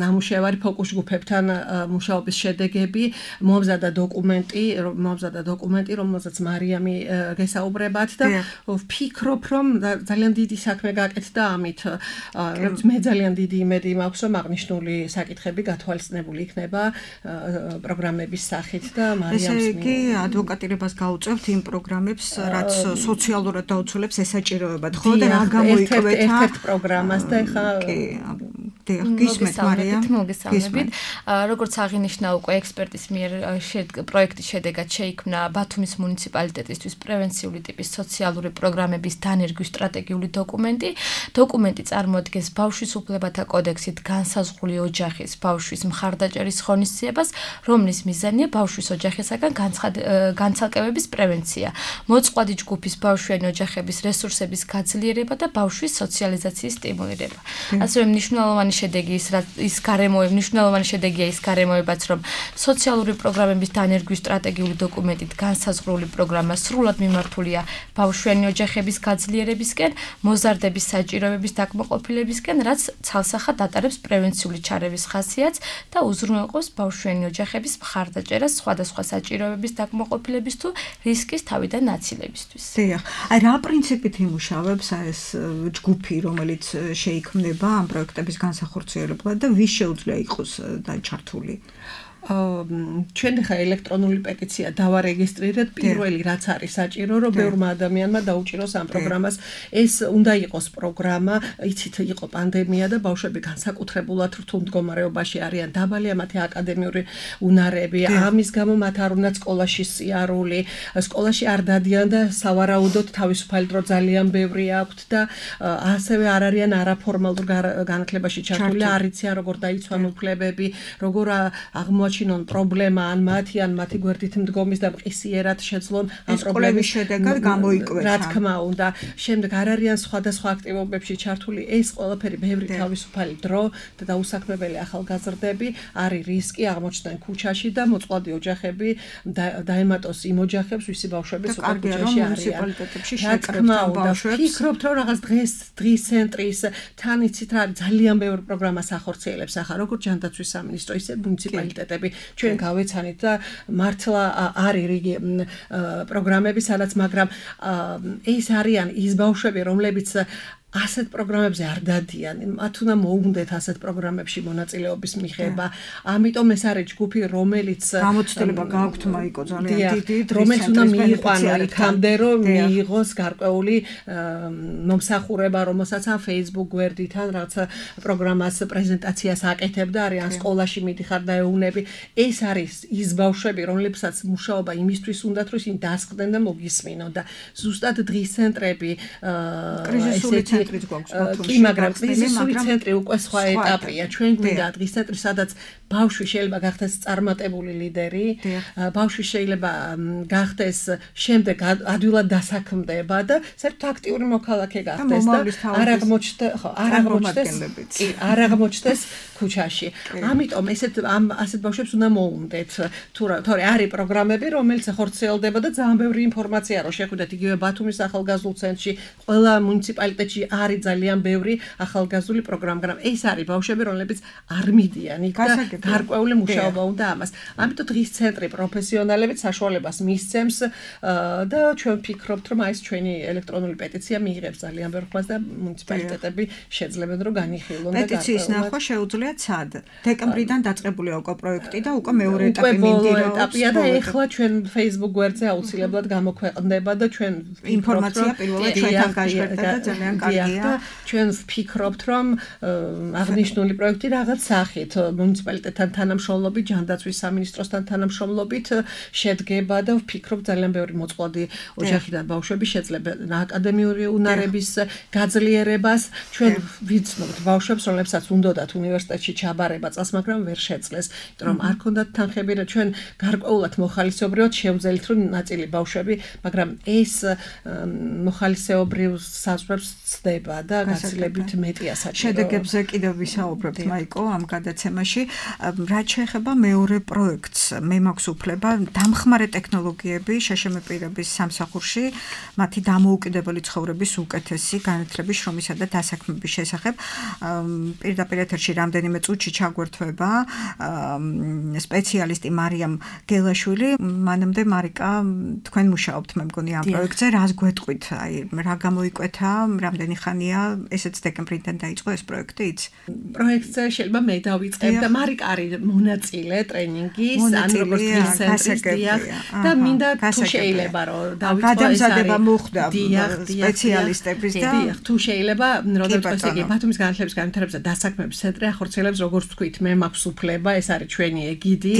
ნამუშევარი ფოკუს ჯგუფებთან მუშაობის შედეგები მომზადა დოკუმენტი მომზადა დოკუმენტი რომელსაც მარიამი გესაუბრებათ და ვფიქრობ რომ ძალიან დიდი საქმე გაკეთდა ამით მე ძალიან დიდი იმედი მაქვს რომ აღნიშნული საკითხები გათვალისწინებული იქნება პროგრამების სახით და მარიამს
ესე იგი ადვოკატირებას გაუწევთ იმ პროგრამებს რაც სოციალურად დაუცველებს ესაჭიროებათ ხო და რა გამოიკვეთა
ერთ-ერთ პროგრამას და ეხა
გისმენთ მარიამ
მოგესალმებით როგორც აღინიშნა უკვე ექსპერტის მიერ პროექტის შედეგად შეიქმნა ბათუმის მუნიციპალიტეტისთვის პრევენციული ტიპის სოციალური პროგრამების დანერგვის სტრატეგიული დოკუმენტი დოკუმენტი წარმოადგენს ბავშვის უფლებათა კოდექსით განსაზღვრული ოჯახის ბავშვის მხარდაჭერის ღონისძიებას რომლის მიზანია ბავშვის ოჯახისაგან განცალკევების პრევენცია მოწყვლადი ჯგუფის ბავშვიანი ოჯახების რესურსების გაძლიერება და ბავშვის სოციალიზაციის სტიმულირება ასევე მნიშვნელოვანი შედეგი ის ის გარემოება მნიშვნელოვანი შედეგია ის გარემოებაც რომ სოციალური პროგრამების დანერგვის სტრატეგიული დოკუმენტით განსაზღვრული პროგრამა სრულად მიმართულია ბავშვიანი ოჯახების გაძლიერებისკენ მოზარდების საჭიროებების დაკმაყოფილებისკენ რაც ცალსახად ატარებს პრევენციული ჩარევის ხასიათს და უზრუნველყოფს ბავშვიანი ოჯახების მხარდაჭერას სხვადასხვა საჭიროებების დაკმაყოფილების თუ რისკის თავიდან ნაცილებისთვის.
დიახ, აი რა პრინციპით იმუშავებს ეს ჯგუფი, რომელიც შეიქმნება ამ პროექტების განსახორციელებლად და ვის შეუძლია იყოს დაჩართული?
ჩვენ ხა ელექტრონული პეტიცია დავარეგისტრირეთ პირველი რაც არის საჭირო რომ ბევრმა ადამიანმა დაუჭიროს ამ პროგრამას ეს უნდა იყოს პროგრამა იცით იყო პანდემია და ბავშვები განსაკუთრებულად რთულ მდგომარეობაში არიან დაბალია მათი აკადემიური უნარები ამის გამო მათ არ უნდა სკოლაში სიარული სკოლაში არ დადიან და სავარაუდოდ თავისუფალი დრო ძალიან ბევრი აქვთ და ასევე არ არიან არაფორმალურ განათლებაში ჩართული არ იციან როგორ დაიცვან უფლებები როგორ აღმოაჩინონ ჩინონ პრობლემა ან მათი ან მათი გვერდით მდგომის და მყისიერად შეძლონ ამ პრობლემის
შედეგად გამოიკვეთა.
რა თქმა უნდა, შემდეგ არ არიან სხვადასხვა აქტივობებში ჩართული, ეს ყველაფერი ბევრი თავისუფალი დრო და დაუსაქმებელი ახალგაზრდები არის რისკი აღმოჩნდნენ ქუჩაში და მოწყვლადი ოჯახები დაემატოს იმ ოჯახებს, ვისი ბავშვებიც უკვე ქუჩაში არიან. რა თქმა უნდა, ვფიქრობთ რომ რაღაც დღეს დღის ცენტრის თან იცით რა ძალიან ბევრი პროგრამა სახორციელებს ახლა როგორც ჯანდაცვის სამინისტრო, ისე მუნიციპალიტეტები ჩვენ გავეცანით და მართლა არის რიგი პროგრამები სადაც მაგრამ ეს არიან ის ბავშვები რომლებიც ასეთ პროგრამებზე არ დადიან, მათ უნდა მოუნდეთ ასეთ პროგრამებში მონაწილეობის მიღება. ამიტომ ეს არის ჯგუფი, რომელიც
გამოცდილება გააქვთ მაიკო ძალიან დიდი,
რომელიც უნდა მიიყვანო იქამდე, რომ მიიღოს გარკვეული მომსახურება, რომელსაც ამ Facebook გვერდით ან რაღაც პროგრამას პრეზენტაციას აკეთებდა, არიან სკოლაში მიდიხარ და ეუნები. ეს არის ის ბავშვები, რომლებსაც მუშაობა იმისთვის უნდათ, რომ ისინი დასხდნენ და მოგისმინონ და ზუსტად დღის ცენტრები
კრიზისული ცენტრიც გვაქვს ბათუმში.
კი, მაგრამ კრიზისული ცენტრი უკვე სხვა ეტაპია. ჩვენ გვინდა დღის ცენტრი, სადაც ბავშვი შეიძლება გახდეს წარმატებული ლიდერი, ბავშვი შეიძლება გახდეს შემდეგ ადვილად დასაქმდება და საერთოდ აქტიური მოქალაქე გახდეს და არ აღმოჩნდეს, ხო, არ აღმოჩნდეს, კი, არ აღმოჩნდეს ქუჩაში. ამიტომ ესეთ ამ ასეთ ბავშვებს უნდა მოუნდეთ. თუ თორე არის პროგრამები, რომელიც ხორციელდება და ძალიან ბევრი ინფორმაცია რო შეხვიდეთ იგივე ბათუმის ახალგაზრდულ ცენტრში, ყველა მუნიციპალიტეტში არის ძალიან ბევრი ახალგაზრდული პროგრამა, მაგრამ ეს არის ბავშვები, რომლებიც არ მიდიან იქ და გარკვეული მუშაობა უნდა ამას. ამიტომ დღის ცენტრი პროფესიონალებიც საშუალებას მისცემს და ჩვენ ვფიქრობთ, რომ აი ეს ჩვენი ელექტრონული პეტიცია მიიღებს ძალიან ბევრ ხმას და მუნიციპალიტეტები შეძლებენ რომ განიხილონ და
პეტიციის ნახვა შეუძლიათ სად? დეკემბრიდან დაწყებულია უკვე პროექტი და უკვე მეორე ეტაპი მინდირაობს.
ეტაპია და ეხლა ჩვენ Facebook გვერდზე აუცილებლად გამოქვეყნდება და ჩვენ
ინფორმაცია პირველად ჩვენთან გაჟღერდა და ძალიან კარგია.
ჩვენ ვფიქრობთ, რომ აღნიშნული პროექტი რაღაც სახით მუნიციპალიტეტთან თანამშრომლობით, ჯანდაცვის სამინისტროსთან თანამშრომლობით შედგება და ვფიქრობ ძალიან ბევრი მოწყვლადი ოჯახიდან ბავშვები შეძლებენ აკადემიური უნარების გაძლიერებას. ჩვენ ვიცნობთ ბავშვებს, რომლებსაც უნდათ უნივერსიტეტში ჩაბარება წელს, მაგრამ ვერ შეძლეს, იმიტომ რომ არ ქონდათ თანხები და ჩვენ გარკვეულად მოხალისეობრივად შევძელით, რომ ნაწილი ბავშვები, მაგრამ ეს მოხალისეობრივ საზღვრებს ცდება და გაცილებით მეტია საჭირო.
შედეგებზე კიდევ ვისაუბრებთ, მაიკო, ამ გადაცემაში. რაც შეეხება მეორე პროექტს, მე მაქვს უფლება დამხმარე ტექნოლოგიები შეშმ პირების სამსახურში, მათი დამოუკიდებელი ცხოვრების უკეთესი განათლების, შრომისა და დასაქმების შესახებ. პირდაპირ ეთერში რამდენიმე წუთში ჩაგვერთვება სპეციალისტი მარიამ გელაშვილი. მანამდე მარიკა, თქვენ მუშაობთ, მე მგონი ამ პროექტზე, რას გვეტყვით? აი, რა გამოიკვეთა, რამდენი ხანია, ესეც დეკემბრიდან დაიწყო ეს პროექტი, იცი?
პროექტზე შეიძლება მე დავიწყებ და მარიკა არის მონაწილე ტრენინგის, ან როგორც ვიცენტრის დიახ და მინდა თუ შეიძლება რომ დავიწყო ეს არის
მოხდა სპეციალისტების და
თუ შეიძლება როდესაც იგი ბათუმის განათლების განვითარების და დასაქმების ცენტრი ახორციელებს, როგორც ვთქვით, მე მაქვს უფლება, ეს არის ჩვენი ეგიდი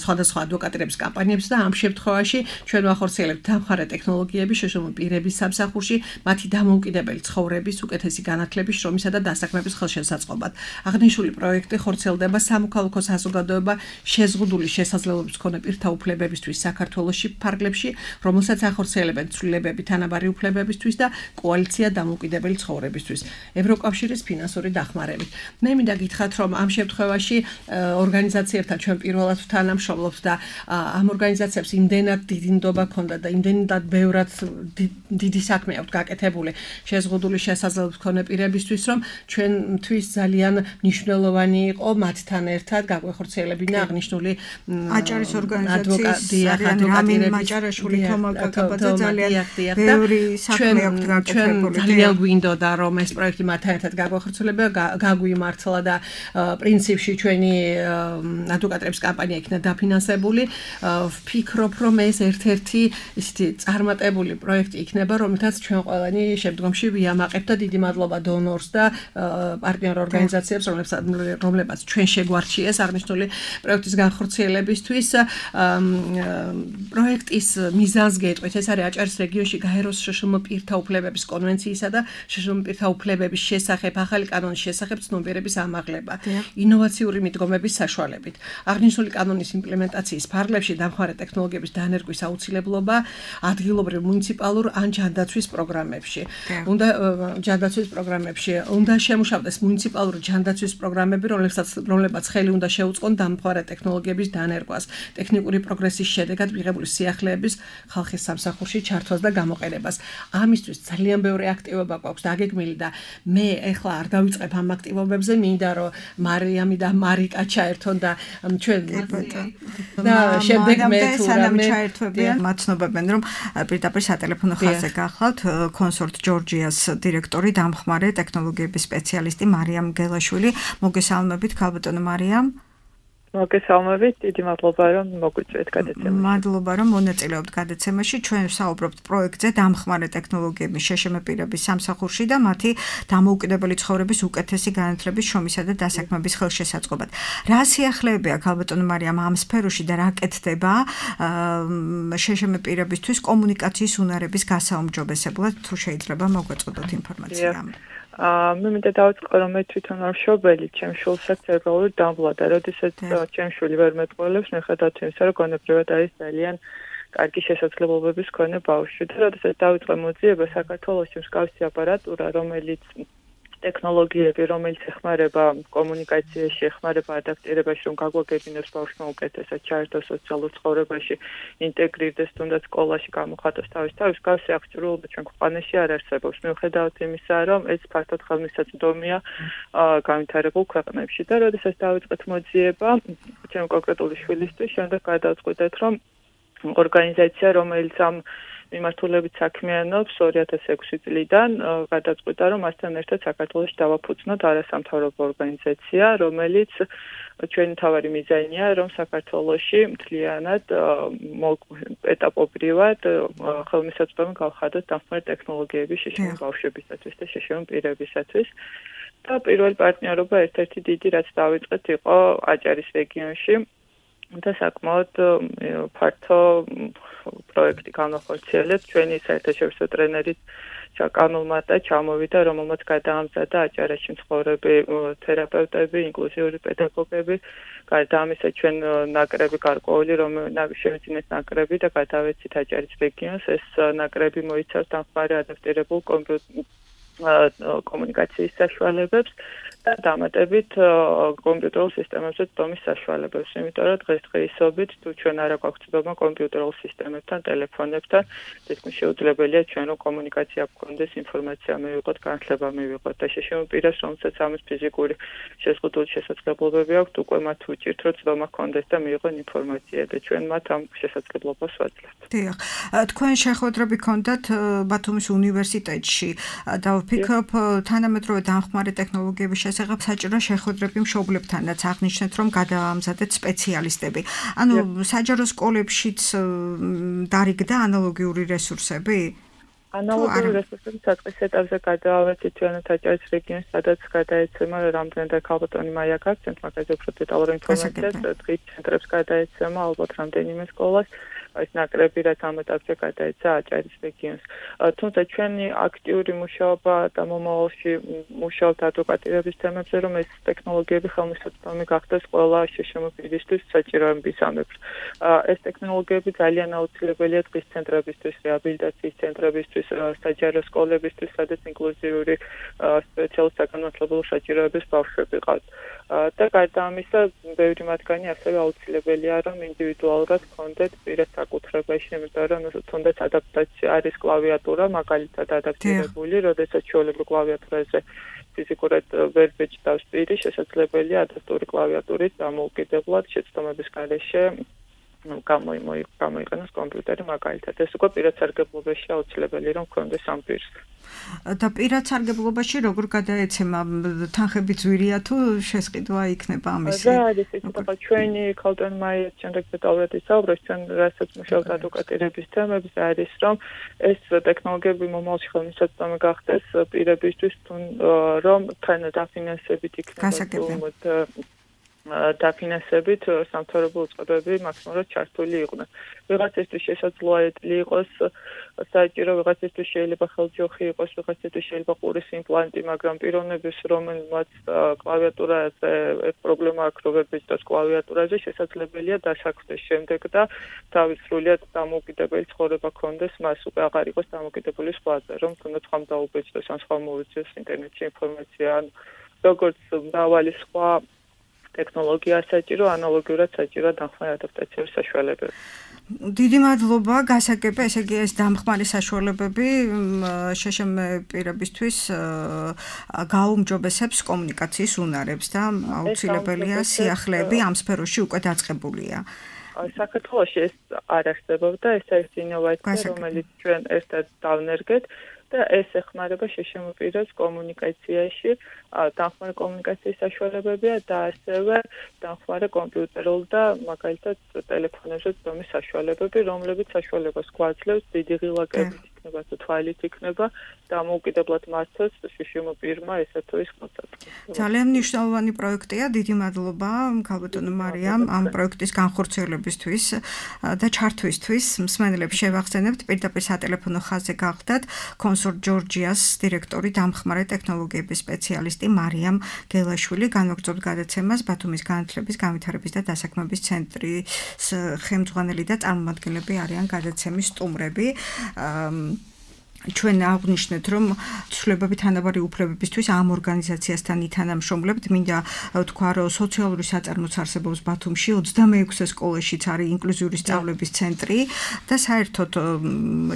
სხვადასხვა ადვოკატირების კამპანიებს და ამ შემთხვევაში ჩვენ ვახორციელებთ დამხმარე ტექნოლოგიები შეშმ პირების სამსახურში, მათი დამოუკიდებელი ცხოვრების უკეთესი განათლების, შრომისა და დასაქმების ხელშესაწყობად. აღნიშნული პროექტი ხორციელდება სამოქალაქო საზოგადოება შეზღუდული შესაძლებლობის მქონე პირთა უფლებებისთვის საქართველოში ფარგლებში, რომელსაც ახორციელებენ ცვლილებები თანაბარი უფლებებისთვის და კოალიცია დამოუკიდებელი ცხოვრებისთვის ევროკავშირის ფინანსური დახმარებით. მე მინდა გითხრათ, რომ ამ შემთხვევაში ორგანიზაციებთან ჩვენ პირველად თანამშრომლობთ და ამ ორგანიზაციებს იმდენად დიდი ნდობა ჰქონდა და იმდენად ბევრად დიდი საქმე აქვს გაკეთებული შეზღუდული შესაძლებლობის მქონე პირებისთვის, რომ ჩვენთვის ძალიან მნიშვნელოვანი იყო მათთან ერთად გაგვეხორციელებინა აღნიშნული
აჭარის ორგანიზაციის რამინ მაჭარაშვილი, თომა კაკაბაძე ძალიან ბევრი საქმე აქვს გაკეთებული.
ძალიან გვინდოდა რომ ეს პროექტი მათთან ერთად გაგვეხორციელება, გაგვიმართლა და პრინციპში ჩვენი ადვოკატების კამპანია იქნა დაფინანსებული. ვფიქრობ, რომ ეს ერთ-ერთი ისეთი წარმატებული პროექტი იქნება, რომელთაც ჩვენ ყველანი შემდგომში ვიამაყებთ და დიდი მადლობა დონორს და პარტნიორ ორგანიზაციებს, რომლებსაც ჩვენ შეგვარჩიეს აღნიშნული პროექტის განხორციელებისთვის. პროექტის მიზანს გეტყვით, ეს არის აჭარის რეგიონში გაეროს შეშმ პირთა უფლებების კონვენციისა და შეშმ პირთა უფლებების შესახებ ახალი კანონის შესახებ ცნობიერების ამაღლება ინოვაციური მიდგომების საშუალებით. აღნიშნული კანონის იმპლემენტაციის ფარგლებში დამხმარე ტექნოლოგიების დანერგვის აუცილებლობა ადგილობრივ მუნიციპალურ ან ჯანდაცვის პროგრამებში. უნდა ჯანდაცვის პროგრამებში უნდა შემუშავდეს მუნიციპალური ჯანდაცვის პროგრამები, რომლებსაც რომლებაც ხელი უნდა შეუწყონ დამხმარე ტექნოლოგიების დანერგვას, ტექნიკური პროგრესის შედეგად მიღებული სიახლეების ხალხის სამსახურში ჩართვას და გამოყენებას. ამისთვის ძალიან ბევრი აქტივობა გვაქვს დაგეგმილი და მე ეხლა არ დავიწყებ ამ აქტივობებზე, მინდა რომ მარიამი და მარიკა ჩაერთონ და ჩვენ და შემდეგ მე თუ რამე
ჩაერთვებიან, მაცნობებენ რომ პირდაპირ სატელეფონო ხაზზე გახლავთ კონსორტ ჯორჯიას დირექტორი, დამხმარე ტექნოლოგიების სპეციალისტი მარიამ გელაშვილი. მოგესალმებით, ქალბატონო მარიამ.
მოგესალმებით, დიდი მადლობა რომ მოგვიწვიეთ გადაცემაში.
მადლობა რომ მონაწილეობთ გადაცემაში. ჩვენ ვსაუბრობთ პროექტზე დამხმარე ტექნოლოგიების შეშმ პირების სამსახურში და მათი დამოუკიდებელი ცხოვრების უკეთესი განათლების, შრომისა და დასაქმების ხელშესაწყობად. რა სიახლეებია ქალბატონო მარიამ ამ სფეროში და რა კეთდება შეშმ პირებისთვის კომუნიკაციის უნარების გასაუმჯობესებლად, თუ შეიძლება მოგვეწოდოთ ინფორმაცია.
აა მე მინდა დავიწყო რომ მე თვითონ არ მშობელი, ჩემ შვილსაც ცერებრალური დამბლადა, როდესაც ჩემ შვილი ვერ მეტყველებს, მიუხედავად იმისა, რომ გონებრივად არის ძალიან კარგი შესაძლებლობების მქონე ბავშვი. და როდესაც დავიწყე მოძიება საქართველოში მსგავსი აპარატურა, რომელიც ტექნოლოგიები, რომელიც ეხმარება კომუნიკაციაში, ეხმარება ადაპტირებაში, რომ გაგვაგებინოს ბავშვმა უკეთესად ჩაერთოს სოციალურ ცხოვრებაში, ინტეგრირდეს თუნდაც სკოლაში გამოხატოს თავის თავის, გავსი აღჭურვილობა ჩვენ ქვეყანაში არ არსებობს. მიუხედავად იმისა, რომ ეს ფართოდ ხელმისაწვდომია განვითარებულ ქვეყნებში. და როდესაც დავიწყეთ მოძიება, ჩვენ კონკრეტული შვილისთვის, შემდეგ გადავწყვიტეთ, რომ ორგანიზაცია, რომელიც ამ მიმართულებით საქმიანობს ორი ათას ექვსი წლიდან, გადაწყვიტა, რომ მასთან ერთად საქართველოში დავაფუძნოთ არასამთავრობო ორგანიზაცია, რომელიც ჩვენი მთავარი მიზანია, რომ საქართველოში მთლიანად ეტაპობრივად ხელმისაწვდომი გავხადოთ დამხმარე ტექნოლოგიების შეშლილ ბავშვებისათვის და შეშლილ პირებისათვის. და პირველი პარტნიორობა ერთ-ერთი დიდი, რაც დავიწყეთ, იყო აჭარის რეგიონში. და საკმაოდ ფართო პროექტი განახორციელებთ. ჩვენი საერთაშორისო ტრენერით ჩაკანულმა და ჩამოვიდა, რომელმაც გადაამზადა აჭარაში მცხოვრები თერაპევტები, ინკლუზიური პედაგოგები. გარდა ამისა, ჩვენ ნაკრები გარკვეული, რომ შევიძინეთ ნაკრები და გადავეცით აჭარის რეგიონს. ეს ნაკრები მოიცავს დამხმარე ადაპტირებულ კომუნიკაციის საშუალებებს და დამატებით კომპიუტერულ სისტემებზე წვდომის საშუალებებს. იმიტომ რომ დღესდღეობით თუ ჩვენ არ აქვს წვდომა კომპიუტერულ სისტემებთან, ტელეფონებთან, თითქმის შეუძლებელია ჩვენ რომ კომუნიკაცია გქონდეს, ინფორმაცია მივიღოთ, განათლება მივიღოთ და შეშლილ პირას, რომელსაც ამის ფიზიკური შეზღუდული შესაძლებლობები აქვს, უკვე მათ უჭირთ, რომ წვდომა გქონდეს და მიიღონ ინფორმაცია და ჩვენ მათ ამ შესაძლებლობას ვაძლევთ.
დიახ, თქვენ შეხვედრები გქონდათ ბათუმის უნივერსიტეტში და ვფიქრობ თანამედროვე დამხმარე ტექნოლოგიების შესახებ საჭირო შეხვედრები მშობლებთანაც აღნიშნეთ, რომ გადაამზადეთ სპეციალისტები. ანუ საჯარო სკოლებშიც დარიგდა ანალოგიური რესურსები?
ანალოგიური რესურსები საწყის ეტაპზე გადაავეცით ჩვენთ აჭარის რეგიონს, სადაც გადაეცემა რამდენადაც ქალბატონი მაია გაქვს, ცენტრ მაგაზე უფრო დეტალურ ინფორმაციას, დღის ცენტრებს გადაეცემა ალბათ რამდენიმე სკოლას. ეს ნაკრები რაც ამ ეტაპზე გადაეცა აჭარის რეგიონს. თუმცა ჩვენი აქტიური მუშაობა და მომავალში მუშაობთ ადვოკატირების თემებზე, რომ ეს ტექნოლოგიები ხელმისაწვდომი გახდეს ყველა შეშლილ პირისთვის საჭიროების ამებს. ეს ტექნოლოგიები ძალიან აუცილებელია დღის ცენტრებისთვის, რეაბილიტაციის ცენტრებისთვის, საჯარო სკოლებისთვის, სადაც ინკლუზიური სპეციალურ საგანმანათლებლო საჭიროების ბავშვები ყავთ. და გარდა ამისა, ბევრი მათგანი ასევე აუცილებელია, რომ ინდივიდუალურად გქონდეთ პირას საკუთრებაში, იმიტომ რომ თუნდაც ადაპტაცია არის კლავიატურა, მაგალითად ადაპტირებული, როდესაც ჩვეულებრივ კლავიატურაზე ფიზიკურად ვერ ბეჭდავს პირი, შესაძლებელია ადაპტური კლავიატურით დამოუკიდებლად შეცდომების გარეშე გამოიყენოს კომპიუტერი მაგალითად. ეს უკვე პირად სარგებლობაში აუცილებელი რომ გქონდეს ამ პირს.
და პირად სარგებლობაში როგორ გადაეცემა თანხები ძვირია თუ შესყიდვა იქნება ამისი?
და არის ეხლა ჩვენი ქალბატონ მაია შემდეგ დეტალურად ისაუბრებს, ჩვენ რასაც მუშაობთ ადვოკატირების თემებზე არის რომ ეს ტექნოლოგიები მომავალში ხელმისაწვდომი გახდეს პირებისთვის, რომ თან დაფინანსებით იქნება დაფინანსებით სამთავრობო უწყებები მაქსიმალურად ჩართული იყვნენ. ვიღაცისთვის შესაძლოა იყოს საჭირო, ვიღაცისთვის შეიძლება ხელჯოხი იყოს, ვიღაცისთვის შეიძლება ყურის იმპლანტი, მაგრამ პიროვნების რომელმაც კლავიატურაზე პრობლემა აქვს, რომ ვერ ბეჭდავს კლავიატურაზე, შესაძლებელია დასაქმდეს შემდეგ და თავის სრულიად დამოუკიდებელი ცხოვრება გქონდეს, მას უკვე აღარ იყოს დამოუკიდებელი სხვაზე, რომ თუნდაც ხომ დაუბეჭდოს, ან სხვა მოვიძიოს ინტერნეტში ინფორმაცია, ან როგორც მრავალი სხვა ტექნოლოგია საჭირო, ანალოგიურად საჭირო დამხმარე ადაპტაციის საშუალებები.
დიდი მადლობა, გასაგებია, ესე იგი ეს დამხმარე საშუალებები შეშლილ პირებისთვის გაუმჯობესებს კომუნიკაციის უნარებს და აუცილებელია სიახლეები ამ სფეროში უკვე დაწყებულია.
საქართველოში ეს არ არსებობდა, ეს არის ინოვაცია, რომელიც ჩვენ ერთად დავნერგეთ. და ეს ეხმარება შეშლილ პირებს კომუნიკაციაში, დამხმარე კომუნიკაციის საშუალებებია და ასევე დამხმარე კომპიუტერულ და მაგალითად ტელეფონებზე წვდომის საშუალებები, რომლებიც საშუალებას გვაძლევს დიდი ღილაკებით იქნება თუ თვალით იქნება დამოუკიდებლად მართოს შშმ პირმა ესა თუ ის კონტაქტი.
ძალიან მნიშვნელოვანი პროექტია, დიდი მადლობა ქალბატონო მარიამ ამ პროექტის განხორციელებისთვის და ჩართვისთვის. მსმენელებს შევახსენებთ, პირდაპირ სატელეფონო ხაზზე გახდათ კონსორტ ჯორჯიას დირექტორი, დამხმარე ტექნოლოგიების სპეციალისტი მარიამ გელაშვილი. განვაგრძობთ გადაცემას ბათუმის განათლების, განვითარების და დასაქმების ცენტრის ხელმძღვანელი და წარმომადგენლები არიან გადაცემის სტუმრები. ჩვენ აღვნიშნეთ, რომ ცვლილებები თანაბარი უფლებებისთვის ამ ორგანიზაციასთან ითანამშრომლებთ. მინდა ვთქვა, რომ სოციალური საწარმოც არსებობს ბათუმში, ოცდამეექვსე სკოლაშიც არის ინკლუზიური სწავლების ცენტრი და საერთოდ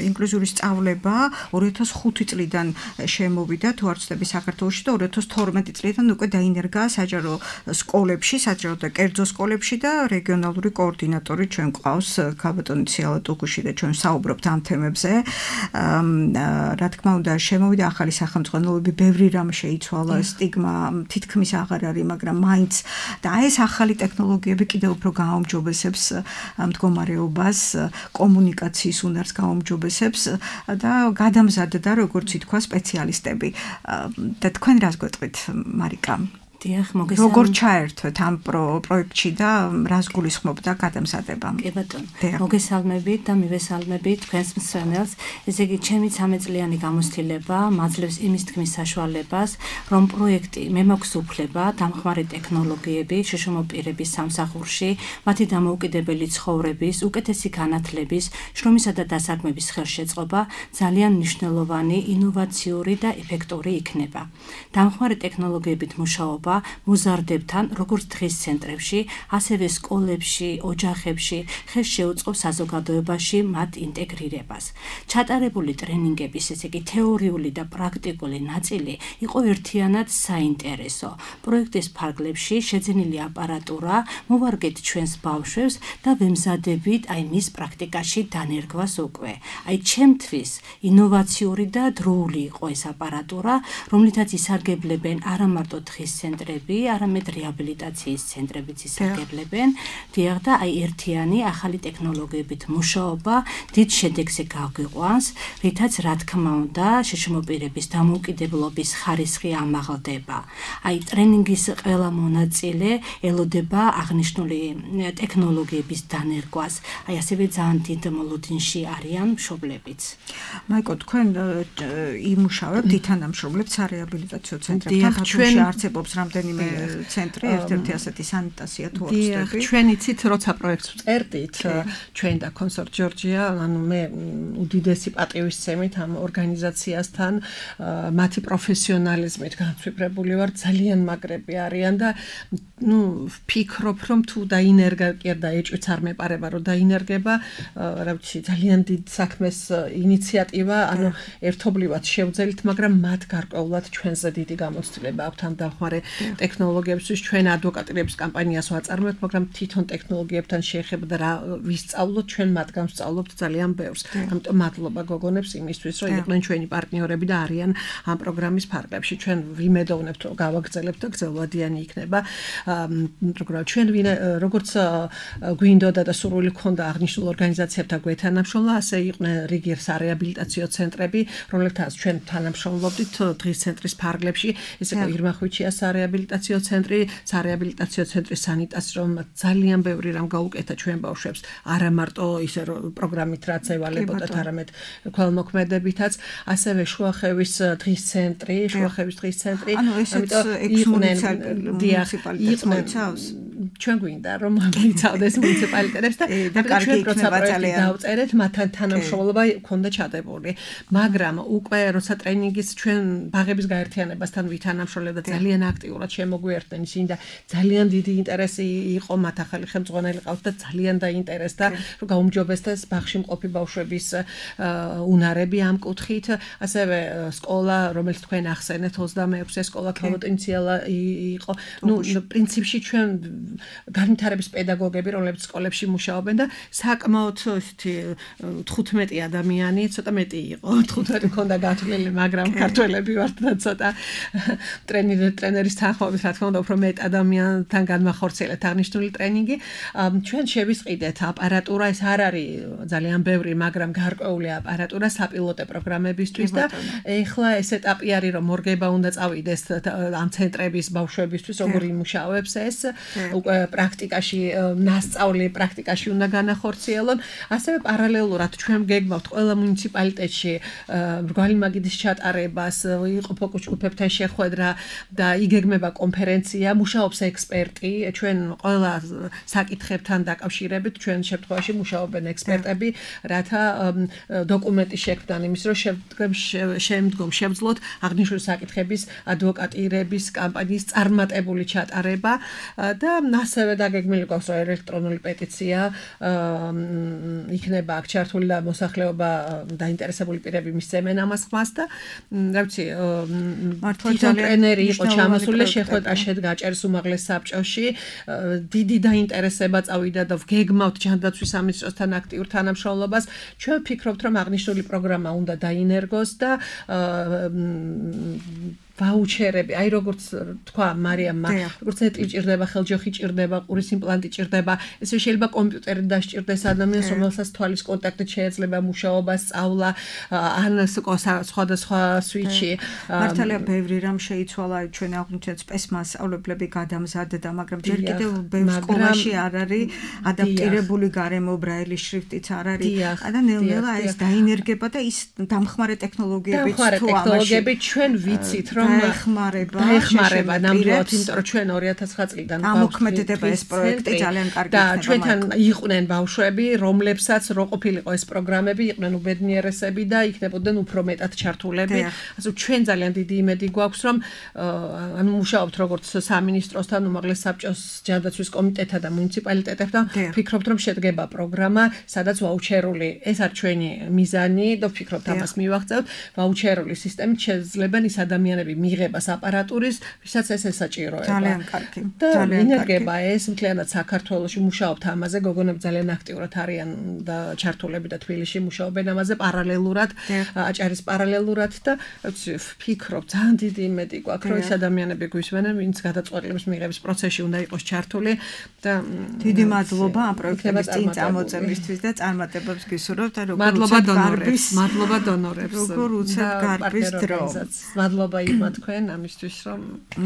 ინკლუზიური სწავლება ორი ათას ხუთი წლიდან შემოვიდა თუ არ ვცდები საქართველოში და ორი ათას თორმეტი წლიდან უკვე დაინერგა საჯარო სკოლებში, საჯარო და კერძო სკოლებში და რეგიონალური კოორდინატორი ჩვენ გვყავს ქალბატონი ციალა ტუგუში და ჩვენ საუბრობთ ამ თემებზე. რა თქმა უნდა შემოვიდა ახალი სახელმძღვანელოები, ბევრი რამ შეიცვალა, სტიგმა თითქმის აღარ არის, მაგრამ მაინც და ეს ახალი ტექნოლოგიები კიდევ უფრო გააუმჯობესებს მდგომარეობას, კომუნიკაციის უნარს გააუმჯობესებს და გადამზადდა, როგორც ითქვა, სპეციალისტები. და თქვენ რას გვეტყვით, მარიკა?
დიახ, მოგესალმებით.
როგორ ჩაერთვეთ ამ პროექტში და რას გულისხმობდა გადამზადება?
კი ბატონო. მოგესალმებით და მივესალმებით თქვენს მსმენელს. ესე იგი, ჩემი ცამეტ წლიანი გამოცდილება მაძლევს იმის თქმის საშუალებას, რომ პროექტი მე მაქვს უფლება დამხმარე ტექნოლოგიები შშმ პირების სამსახურში, მათი დამოუკიდებელი ცხოვრების, უკეთესი განათლების, შრომისა და დასაქმების ხელშეწყობა ძალიან მნიშვნელოვანი, ინოვაციური და ეფექტური იქნება. დამხმარე ტექნოლოგიებით მუშაობა მოზარდებთან, როგორც დღის ცენტრებში, ასევე სკოლებში, ოჯახებში, ხელს შეუწყობს საზოგადოებაში მათ ინტეგრირებას. ჩატარებული ტრენინგების, ესე იგი თეორიული და პრაქტიკული ნაწილი იყო ერთიანად საინტერესო. პროექტის ფარგლებში შეძენილი აპარატურა მოვარგეთ ჩვენს ბავშვებს და ვემზადებით აი მის პრაქტიკაში დანერგვას უკვე. აი ჩემთვის ინოვაციური და დროული იყო ეს აპარატურა, რომლითაც ისარგებლებენ არა მარტო დღის ცენტრები, არამედ რეაბილიტაციის ცენტრებიც ისარგებლებენ. დიახ და აი ერთიანი ახალი ტექნოლოგიებით მუშაობა დიდ შედეგზე გავიყვანს, რითაც რა თქმა უნდა შშმ პირების დამოუკიდებლობის ხარისხი ამაღლდება. აი ტრენინგის ყველა მონაწილე ელოდება აღნიშნული ტექნოლოგიების დანერგვას. აი ასევე ძალიან დიდ მოლოდინში არიან მშობლებიც.
მაიკო, თქვენ იმუშავებთ, ითანამშრომლებთ სარეაბილიტაციო ცენტრებთან, ბათუმში არსებობს რამდენიმე ცენტრი, ერთ-ერთი ასეთი სანიტაცია თუ არ ვცდები.
ჩვენ იცით, როცა პროექტს ვწერდით, ჩვენ და კონსორტ ჯორჯია, ანუ მე უდიდესი პატივისცემით ამ ორგანიზაციასთან, მათი პროფესიონალიზმით განსვიფრებული ვარ, ძალიან მაგრები არიან და ნუ ვფიქრობ, რომ თუ დაინერგა კი და ეჭვიც არ მეპარება, რომ დაინერგება, რა ვიცი, ძალიან დიდ საქმეს ინიციატივა, ანუ ერთობლივად შევძელით, მაგრამ მათ გარკვეულად ჩვენზე დიდი გამოცდილება აქვთ ამ დამხმარე ტექნოლოგიებისთვის. ჩვენ ადვოკატირების კამპანიას ვაწარმოებთ, მაგრამ თვითონ ტექნოლოგიებთან შეეხება და რა ვისწავლოთ, ჩვენ მათგან ვსწავლობთ ძალიან ბევრს. ამიტომ მადლობა გოგონებს იმისთვის, რომ იყვნენ ჩვენი პარტნიორები და არიან ამ პროგრამის ფარგლებში. ჩვენ ვიმედოვნებთ, რომ გავაგრძელებთ და გრძელვადიანი იქნება. პროგრამა ჩვენ როგორც გვინდოდა და სურვილი ჰქონდა აღნიშნულ ორგანიზაციებთან გვეთანამშრომლა, ასე იყვნენ რიგი სარეაბილიტაციო ცენტრები, რომლებთაც ჩვენ თანამშრომლობდით დღის ცენტრის ფარგლებში. ესე იგი ირმახვიჩია სარეაბილიტაციო ცენტრი, სარეაბილიტაციო ცენტრის სანიტაცია, ძალიან ბევრი რამ გაუკეთა ჩვენ ბავშვებს, არა მარტო ისე პროგრამით რაც ევალებოდათ, არამედ ქველმოქმედებითაც, ასევე შუახევის დღის ცენტრი, შუახევის დღის ცენტრი,
ამიტომ
მუნიციპალიტეტს ჩვენ გვინდა რომ მოიცავდეს მუნიციპალიტეტებს და ჩვენ პროცესში დავწერეთ მათთან თანამშრომლობა ქონდა ჩადებული, მაგრამ უკვე როცა ტრენინგის ჩვენ ბაღების გაერთიანებასთან ვითანამშრომლებდა ძალიან აქტიურად შემოგვიერთდნენ ისინი და ძალიან დიდი ინტერესი იყო, მათ ახალი ხელმძღვანელი ყავთ და ძალიან დაინტერესდა რომ გაუმჯობესდეს ბაღში მყოფი ბავშვების უნარები ამ კუთხით. ასევე სკოლა, რომელიც თქვენ ახსენეთ, ოცდამეექვსე სკოლა ქალბატონი ციალა იყო. ნუ პრინციპში ჩვენ განვითარების პედაგოგები, რომლებიც სკოლებში მუშაობენ და საკმაოდ ისეთი თხუთმეტი ადამიანი, ცოტა მეტი იყო, თხუთმეტი მქონდა გათვლილი, მაგრამ ქართველები ვართ და ცოტა ტრენერი ტრენერის თანხმობით, რა თქმა უნდა, უფრო მეტ ადამიანთან განმახორციელეთ აღნიშნული ტრენინგი. ჩვენ შევისყიდეთ აპარატურა, ეს არ არის ძალიან ბევრი, მაგრამ გარკვეული აპარატურა საპილოტე პროგრამებისთვის და ეხლა ეს ეტაპი არის, რომ მორგება უნდა წავიდეს ამ ცენტრების ბავშვებისთვის, როგორ იმუშავებს ეს, უკვე პრაქტიკაში ნასწავლი პრაქტიკაში უნდა განახორციელონ. ასევე პარალელურად ჩვენ გეგმავთ ყველა მუნიციპალიტეტში მრგვალი მაგიდის ჩატარებას, იყო ფოკუს ჯგუფებთან შეხვედრა და იგეგმება კონფერენცია, მუშაობს ექსპერტი, ჩვენ ყველა საკითხებთან დაკავშირებით ჩვენ შემთხვევაში მუშაობენ ექსპერტები, რათა დოკუმენტი შექმნან იმის, რომ შემდგომ შევძლოთ აღნიშნული საკითხების ადვოკატირების კამპანიის წარმატებული ჩატარება და ასევე დაგეგმილი გვაქვს, რომ ელექტრონული პეტიცია იქნება აქ ჩართული და მოსახლეობა დაინტერესებული პირები მისცემენ ამას ხმას და რა ვიცი, თვითონ ტრენერი იყო ჩამოსული, შეხვედრა შედგა ჭერს უმაღლეს საბჭოში, დიდი დაინტერესება წავიდა და გეგმავთ ჯანდაცვის სამინისტროსთან აქტიურ თანამშრომლობას. ჩვენ ვფიქრობთ, რომ აღნიშნული პროგრამა უნდა დაინერგოს და ვაუჩერები, აი როგორც თქვა მარიამმა, როგორც ეტლი ჭირდება, ხელჯოხი ჭირდება, ყურის იმპლანტი ჭირდება, ესე შეიძლება კომპიუტერი დასჭირდეს ადამიანს, რომელსაც თვალის კონტაქტით შეიძლება მუშაობა, სწავლა, ან სხვადასხვა სვიჩი.
მართალია ბევრი რამ შეიცვალა, ჩვენ აღვნიშნეთ სპეცმასწავლებლები გადამზადდა, მაგრამ ჯერ კიდევ ბევრ სკოლაში არ არის ადაპტირებული გარემო, ბრაილის შრიფტიც არ არის. და ნელ-ნელა ეს დაინერგება და ის დამხმარე ტექნოლოგიებიც თუ
ტექნოლოგიები ჩვენ ვიცით, რომ
დაეხმარება,
დაეხმარება ნამდვილად, იმიტომ რომ ჩვენ ორი ათას ცხრა წლიდან
ამოქმედება ეს პროექტი ძალიან კარგი
და ჩვენთან იყვნენ ბავშვები, რომლებსაც რო ყოფილიყო ეს პროგრამები, იყვნენ უბედნიერესები და იქნებოდნენ უფრო მეტად ჩართულები. ასე ჩვენ ძალიან დიდი იმედი გვაქვს, რომ ანუ მუშაობთ როგორც სამინისტროსთან, უმაღლეს საბჭოს ჯანდაცვის კომიტეტთან და მუნიციპალიტეტებთან, ვფიქრობთ, რომ შედგება პროგრამა, სადაც ვაუჩერული, ეს არის ჩვენი მიზანი და ვფიქრობთ ამას მივაღწევთ, ვაუჩერული სისტემით შეძლებენ ის ადამიანები მიიღებას აპარატურის, ვისაც ეს ესაჭიროება.
ძალიან კარგი.
და ინერგება ეს მთლიანად საქართველოში მუშაობთ ამაზე, გოგონები ძალიან აქტიურად არიან და ჩართულები და თბილისში მუშაობენ ამაზე პარალელურად, აჭარის პარალელურად და ვფიქრობ, ძალიან დიდი იმედი გვაქვს, რომ ეს ადამიანები გვისმენენ, ვინც გადაწყვეტილების მიღების პროცესში უნდა იყოს ჩართული და
დიდი მადლობა ამ პროექტების წინ წამოწევისთვის და წარმატებებს გისურვებთ და როგორ უცებ გარბის,
მადლობა დონორებს,
როგორ უცებ გარბის დრო.
მადლობა იქმა თქვენ ამისთვის, რომ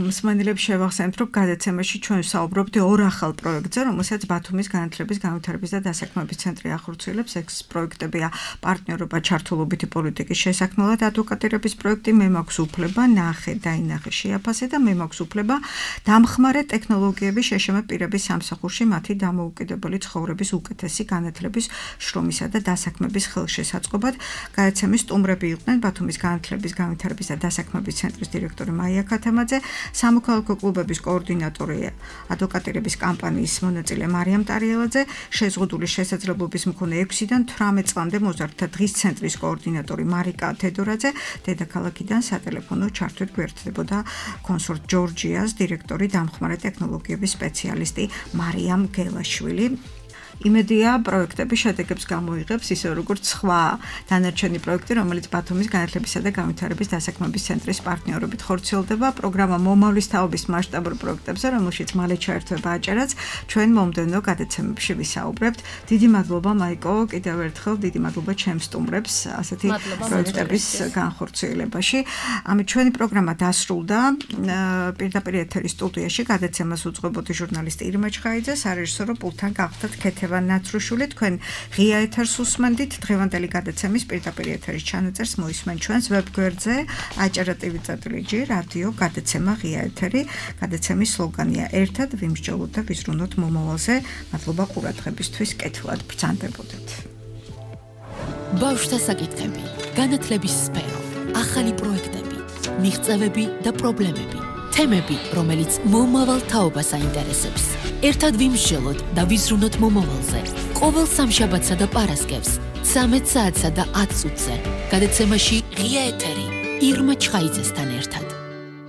მსმენელებს შევახსენებთ, რომ გადაცემაში ჩვენ ვსაუბრობთ ორ ახალ პროექტზე, რომელსაც ბათუმის განათლების, განვითარების და დასაქმების ცენტრი ახორციელებს. ეს პროექტებია პარტნიორობა ჩართულობითი პოლიტიკის შესაქმნელად ადვოკატირების პროექტი, მე მაქვს უფლება, ნახე, დაინახე, შეაფასე და მე მაქვს უფლება დამხმარე ტექნოლოგიების შეშმე პირების სამსახურში მათი დამოუკიდებელი ცხოვრების უკეთესი განათლების, შრომისა და დასაქმების ხელშესაწყობად. გადაცემის სტუმრები იყვნენ ბათუმის განათლების, განვითარების და დასაქმების ცენტრის დირექტორი მაია ქათამაძე, სამოქალაქო კლუბების კოორდინატორი ადვოკატირების კამპანიის მონაწილე მარიამ ტარიელაძე, შეზღუდული შესაძლებლობის მქონე ექვსიდან თვრამეტ წლამდე მოზარდთა დღის ცენტრის კოორდინატორი მარიკა თედორაძე, დედაქალაქიდან სატელეფონო ჩართვით გვერდებოდა კონსორტ ჯორჯიას დირექტორი დამხმარე ტექნოლოგიების სპეციალისტი მარიამ გელაშვილი. იმედია პროექტები შედეგებს გამოიღებს, ისე როგორც სხვა დანარჩენი პროექტი, რომელიც ბათუმის განათლებისა და განვითარების დასაქმების ცენტრის პარტნიორობით ხორციელდება. პროგრამა მომავლის თაობის მასშტაბურ პროექტებზე, რომელშიც მალე ჩაერთვება აჭარაც, ჩვენ მომდევნო გადაცემებში ვისაუბრებთ. დიდი მადლობა მაიკო, კიდევ ერთხელ დიდი მადლობა ჩემს სტუმრებს ასეთი პროექტების განხორციელებაში. ამით ჩვენი პროგრამა დასრულდა. პირდაპირ ეთერის სტუდიაში გადაცემას უძღვებოდი ჟურნალისტი ირმა ჩხაიძე, სარეჟისორო პულტთან გახდათ ქეთევან ნაცრუშული. თქვენ ღია ეთერს უსმენდით. დღევანდელი გადაცემის პირდაპირ ეთერის ჩანაწერს მოისმენ ჩვენს ვებგვერდზე აჭარა.tv.gr რადიო გადაცემა ღია ეთერი. გადაცემის სლოგანია ერთად ვიმსჯელოთ და ვიზრუნოთ მომავალზე. მადლობა ყურადღებისთვის, კეთილად ბრძანდებოდეთ.
ბავშვთა საკითხები, განათლების სფერო, ახალი პროექტები, მიღწევები და პრობლემები, თემები, რომელიც მომავალ თაობას აინტერესებს. ერთად ვიმსჯელოთ და ვიზრუნოთ მომავალზე. ყოველ სამშაბათსა და პარასკევს, ცამეტ საათსა და ათ წუთზე. გადაცემაში ღია ეთერი ირმა ჩხაიძესთან ერთად.